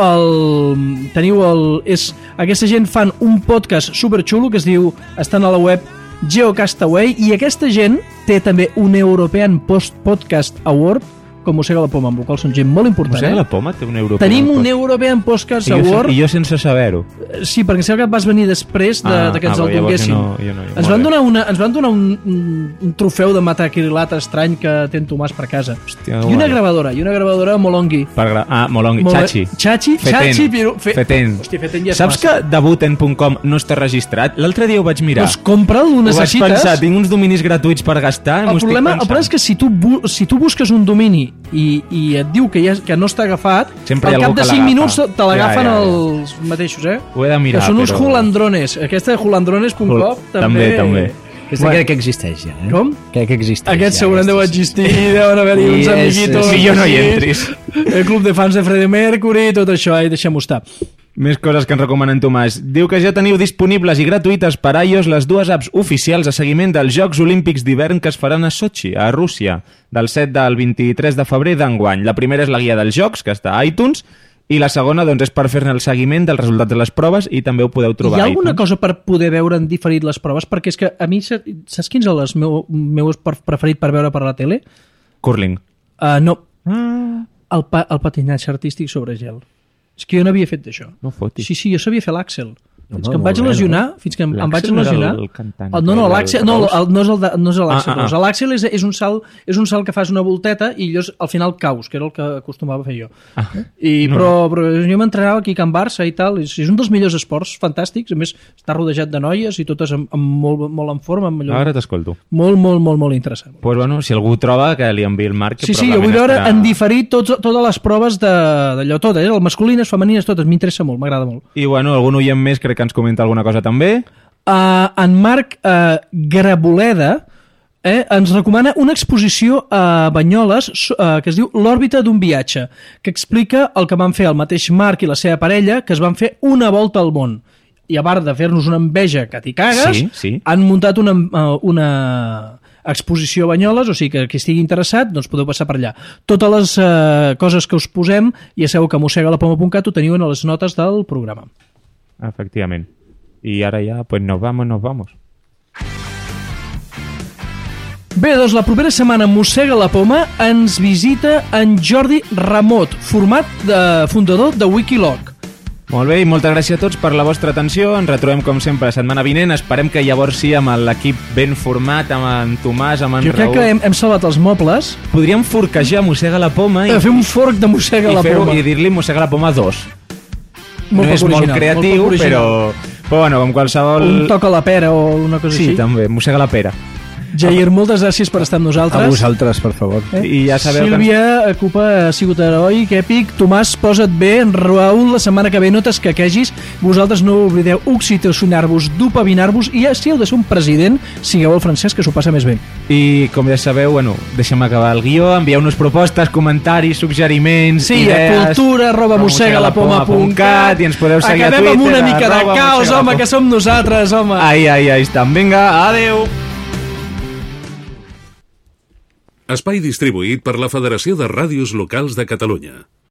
aquesta gent fan un podcast superxulo que es diu, estan a la web GeoCastaway, i aquesta gent té també un European Podcast Award, com Mossega la Poma, amb el qual són gent molt important. Mossega la Poma té un European Tenim un European Podcast Award. I jo sense saber-ho. Sí, perquè sembla que vas venir després de que ens el donguessin. Ens van donar un trofeu de metacrilat estrany que té en Tomàs per casa. Hòstia, I una gravadora Molongi. Molongi, Chachi. Feten. Hòstia, Feten ja és Saps que Debuten.com no està registrat? L'altre dia ho vaig mirar. Doncs compra'l, ho necessites. Ho vaig pensar, tinc uns dominis gratuïts per gastar. El problema és que si tu busques un domini i et diu que no està agafat, al cap de 5 minuts te l'agafen els mateixos, Ho he de mirar, que són uns hulandrones. Aquesta de hulandrones.com també. Aquesta crec que existeix ja, Com? Crec que existeix. Aquest segurament deu existir, deuen haver-hi uns amiguitos. Millor no hi entris. El club de fans de Freddie Mercury, tot això, deixem-ho estar. Més coses que ens recomanen Tomàs. Diu que ja teniu disponibles i gratuïtes per iOS les dues apps oficials de seguiment dels Jocs Olímpics d'hivern que es faran a Sochi, a Rússia, del 7 al 23 de febrer d'enguany. La primera és la guia dels jocs, que està a iTunes, i la segona doncs, és per fer-ne el seguiment dels resultats de les proves i també ho podeu trobar. Hi ha alguna cosa per poder veure en diferit les proves? Perquè és que a mi, saps quin és el meu preferit per veure per la tele? Curling. No. El patinatge artístic sobre gel. És que jo no havia fet d'això. No fotis. Sí, jo sabia fer l'Àxel. Fins que em vaig lesionar... No, l'Àxel no és l'Àxel. L'Àxel és un salt que fas una volteta i llavors al final caus, que era el que acostumava a fer jo. Però jo m'entrenava aquí a Can Barça i tal. És un dels millors esports fantàstics. A més, està rodejat de noies i totes molt en forma. Ara t'escolto. Molt interessant. Pues bueno, si algú troba, que li enviï el Marc. Sí, jo vull veure en diferit totes les proves d'allò tot. Les masculines, femenines, totes. M'interessa molt, m'agrada molt. I bueno, algun oient més crec que ens comenta alguna cosa també. En Marc Graboleda ens recomana una exposició a Banyoles que es diu L'òrbita d'un viatge, que explica el que van fer el mateix Marc i la seva parella, que es van fer una volta al món. I a part de fer-nos una enveja que t'hi cagues, han muntat una exposició a Banyoles, o sigui que qui estigui interessat doncs podeu passar per allà. Totes les coses que us posem, ja sabeu que a mossegalapoma.cat ho teniu a les notes del programa. Efectivament. I ara ja, pues nos vamos. Bé, doncs la propera setmana Mossega la Poma ens visita en Jordi Ramot, fundador de Wikiloc. Molt bé, i moltes gràcies a tots per la vostra atenció. Ens retrobem com sempre la setmana vinent. Esperem que llavors sí, amb l'equip ben format, amb en Tomàs, amb en Raül. Jo crec que hem salvat els mobles. Podríem forquejar Mossega la Poma fer un forc de Mossega la Poma i dir-li Mossega la Poma 2. No és molt creatiu, però bueno, com qualsevol... Un toc a la pera o una cosa així. Sí, també, Mossega la pera. Jair, moltes gràcies per estar amb nosaltres. A vosaltres, per favor. I ja sabeu Sílvia, Cupa, ha sigut heroic, èpic. Tomàs, posa't bé. En Raül, la setmana que ve no t'escaquegis. Vosaltres no oblideu oxitocionar-vos, dopavinar-vos i si heu de ser un president, sigueu el francès, que s'ho passa més bé. I com ja sabeu, bueno, deixem acabar el guió, envieu-nos propostes, comentaris, suggeriments, idees... a cultura@mossegalapoma.cat i ens podeu seguir a Twitter. Acabem amb una mica de caos, home, que som nosaltres, home. Ai, estem. Vinga, adeu. Espai distribuït per la Federació de Ràdios Locals de Catalunya.